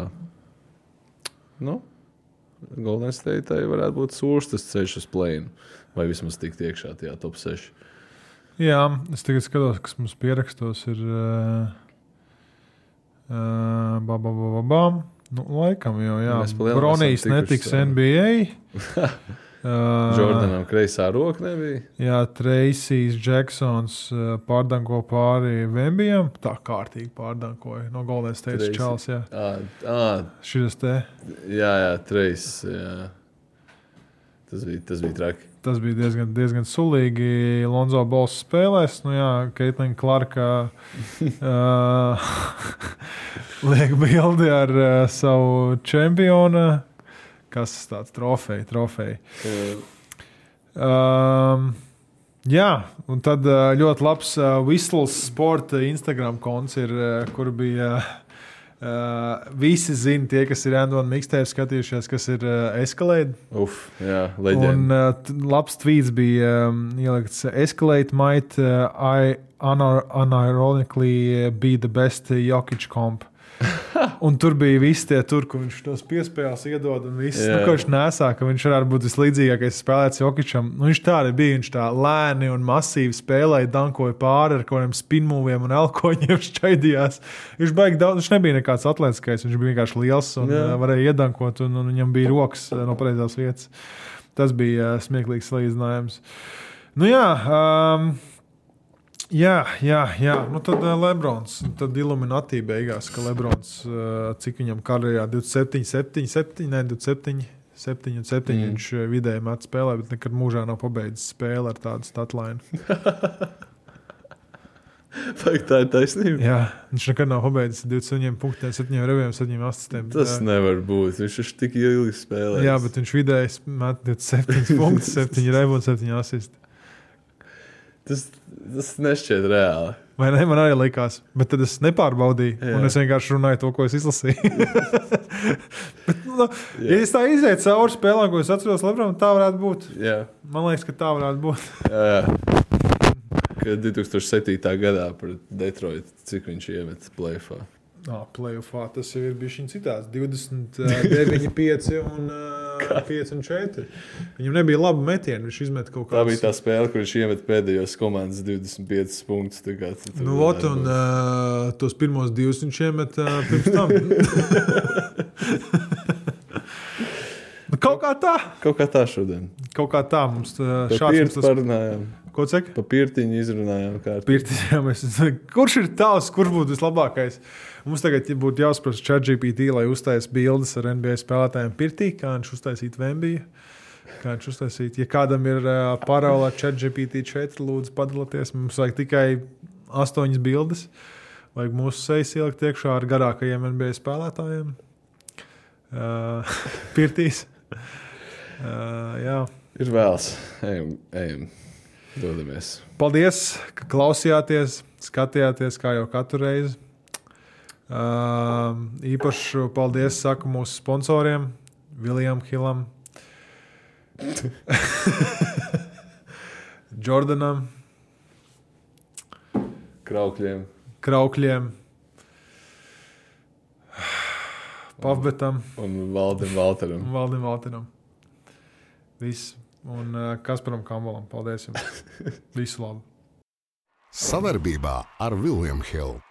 nu, Golden Stateai varētu būt sūrs tas ceļš uz play-in. Vai vismaz tikt iekšā tajā top seši. Jā, es tagad skatos, kas mums pierakstos ir uh, uh, ba, ba, ba, ba, ba. Nu, laikam jau, jā. Bronijs netiks N B A. uh, Jordanam kreisā roka nebija. Jā, Tracijs Jacksons uh, pārdanko pāri Vembijam. Tā kārtīgi pārdankoja no Golden State Čāls, jā. Ā, ā. Šitas te. Jā, jā, Trejs, jā. Tas bija, tas bija traki. Tas bija diezgan, diezgan sulīgi. Lonzo Balls spēlēs. Nu jā, Caitlin Clarka uh, liek bildi ar uh, savu čempionu. Kas tāds trofeja, trofeja. Um, jā, un tad uh, ļoti labs uh, Whistles Sport Instagram konts ir, uh, kur bija... Uh, visi zina, tie, kas ir Andona mixtape skatījušies, kas ir uh, Escalade. Uf, jā, leģenda. Un uh, t- labs tweets bija um, ielikts, Escalade might uh, I unir- unironically be the best Jokic comp. Un tur bija visi tie tur, kur viņš tos piespēles iedod un viss, Jā. nu, ko viņš nesā, ka viņš varētu būt vislīdzīgākais spēlēts Jokičam. Nu, viņš tā arī bija, viņš tā lēni un masīvi spēlēja, dankoja pāri ar kaut kādiem spinmūviem un elkoņiem šķaidījās. Viņš baigi daudz, viņš nebija nekāds atletiskais, viņš bija vienkārši liels un Jā. varēja iedankot un, un viņam bija rokas no pareizās vietas. Tas bija smieklīgs salīdzinājums. Nu jā, um, Jā, jā, jā. Nu, tad uh, Lebrons, tad Illuminati beigās, ka Lebrons, uh, cik viņam karjerā divdesmit septiņi, septiņi, septiņi, ne, divdesmit septiņi, septiņi un septiņi mm. viņš uh, vidēji met spēlē, bet nekad mūžā nav pabeidzis spēli ar tādu statline. Vai tā ir taisnība? Jā, viņš nekad nav pabeidzis divdesmit septiņiem punktiem, septiņiem reviem, septiņiem asistiem. Tas jā. Nevar būt, viņš ir tik ilgi spēlējis. Jā, bet viņš vidēji met divdesmit septiņi punktus, septiņi revi un septiņi asisti. Tas, tas nešķiet reāli. Vai ne? Man arī likās. Bet tad es nepārbaudīju. Jā. Un es vienkārši runāju to, ko es izlasīju. Bet, nu, ja es tā izēju cauri spēlēm, ko es atceros Lebronam, tā varētu būt. Jā. Man liekas, ka tā varētu būt. Jā, jā. Kad divi tūkstoši septītā gadā pret Detroit, cik viņš iemet play-offā? Ah, play-offā tas jau ir bijis citāds. divdesmit deviņi, pieci un uh, pieci un četri. Viņam nebija laba metiena. Viņš izmet kaut kādas... Tā bija tā spēle, kur viņš iemet pēdējos komandas divdesmit piecus punktus. Kā, nu, ot, un uh, tos pirmos divus viņš iemet uh, pirms tam. nu, kaut kā tā. Kaut kā tā šodien. Kaut kā tā. Mums uh, šāds mums tas... parunājām. Ko cek? Pa pirtiņu izrunājām. Pirtiņā mēs... Kurš ir tavs, kurš būtu vislabākais? Mums tagad būtu jāuzprasa ChatGPT, lai uztais bildes ar N B A spēlētājiem pirtī, kā viņš uztaisītu Vembiju. Kā viņš uztaisītu. Ja kādam ir uh, paraula ChatGPT četri, lūdzu padalieties. Mums vajag tikai astoņas bildes. Vajag mūsu sejas ielikt iekšā ar garākajiem N B A spēlētājiem. Uh, pirtīs. Uh, jā. Ir vēls. Ejam, ejam. Dodamies. Paldies, ka klausījāties, skatījāties kā jau katru reizi. Uh, īpaši paldies saku mūsu sponsoriem William Hillam, Jordanam, Kraukļiem, Kraukļiem, Pavbetam un Valdim Valteram. Valdim Valteram. Viss. Un uh, Kasparam Kambalam. Paldies jums. Visu labu. Savarbībā ar William Hill.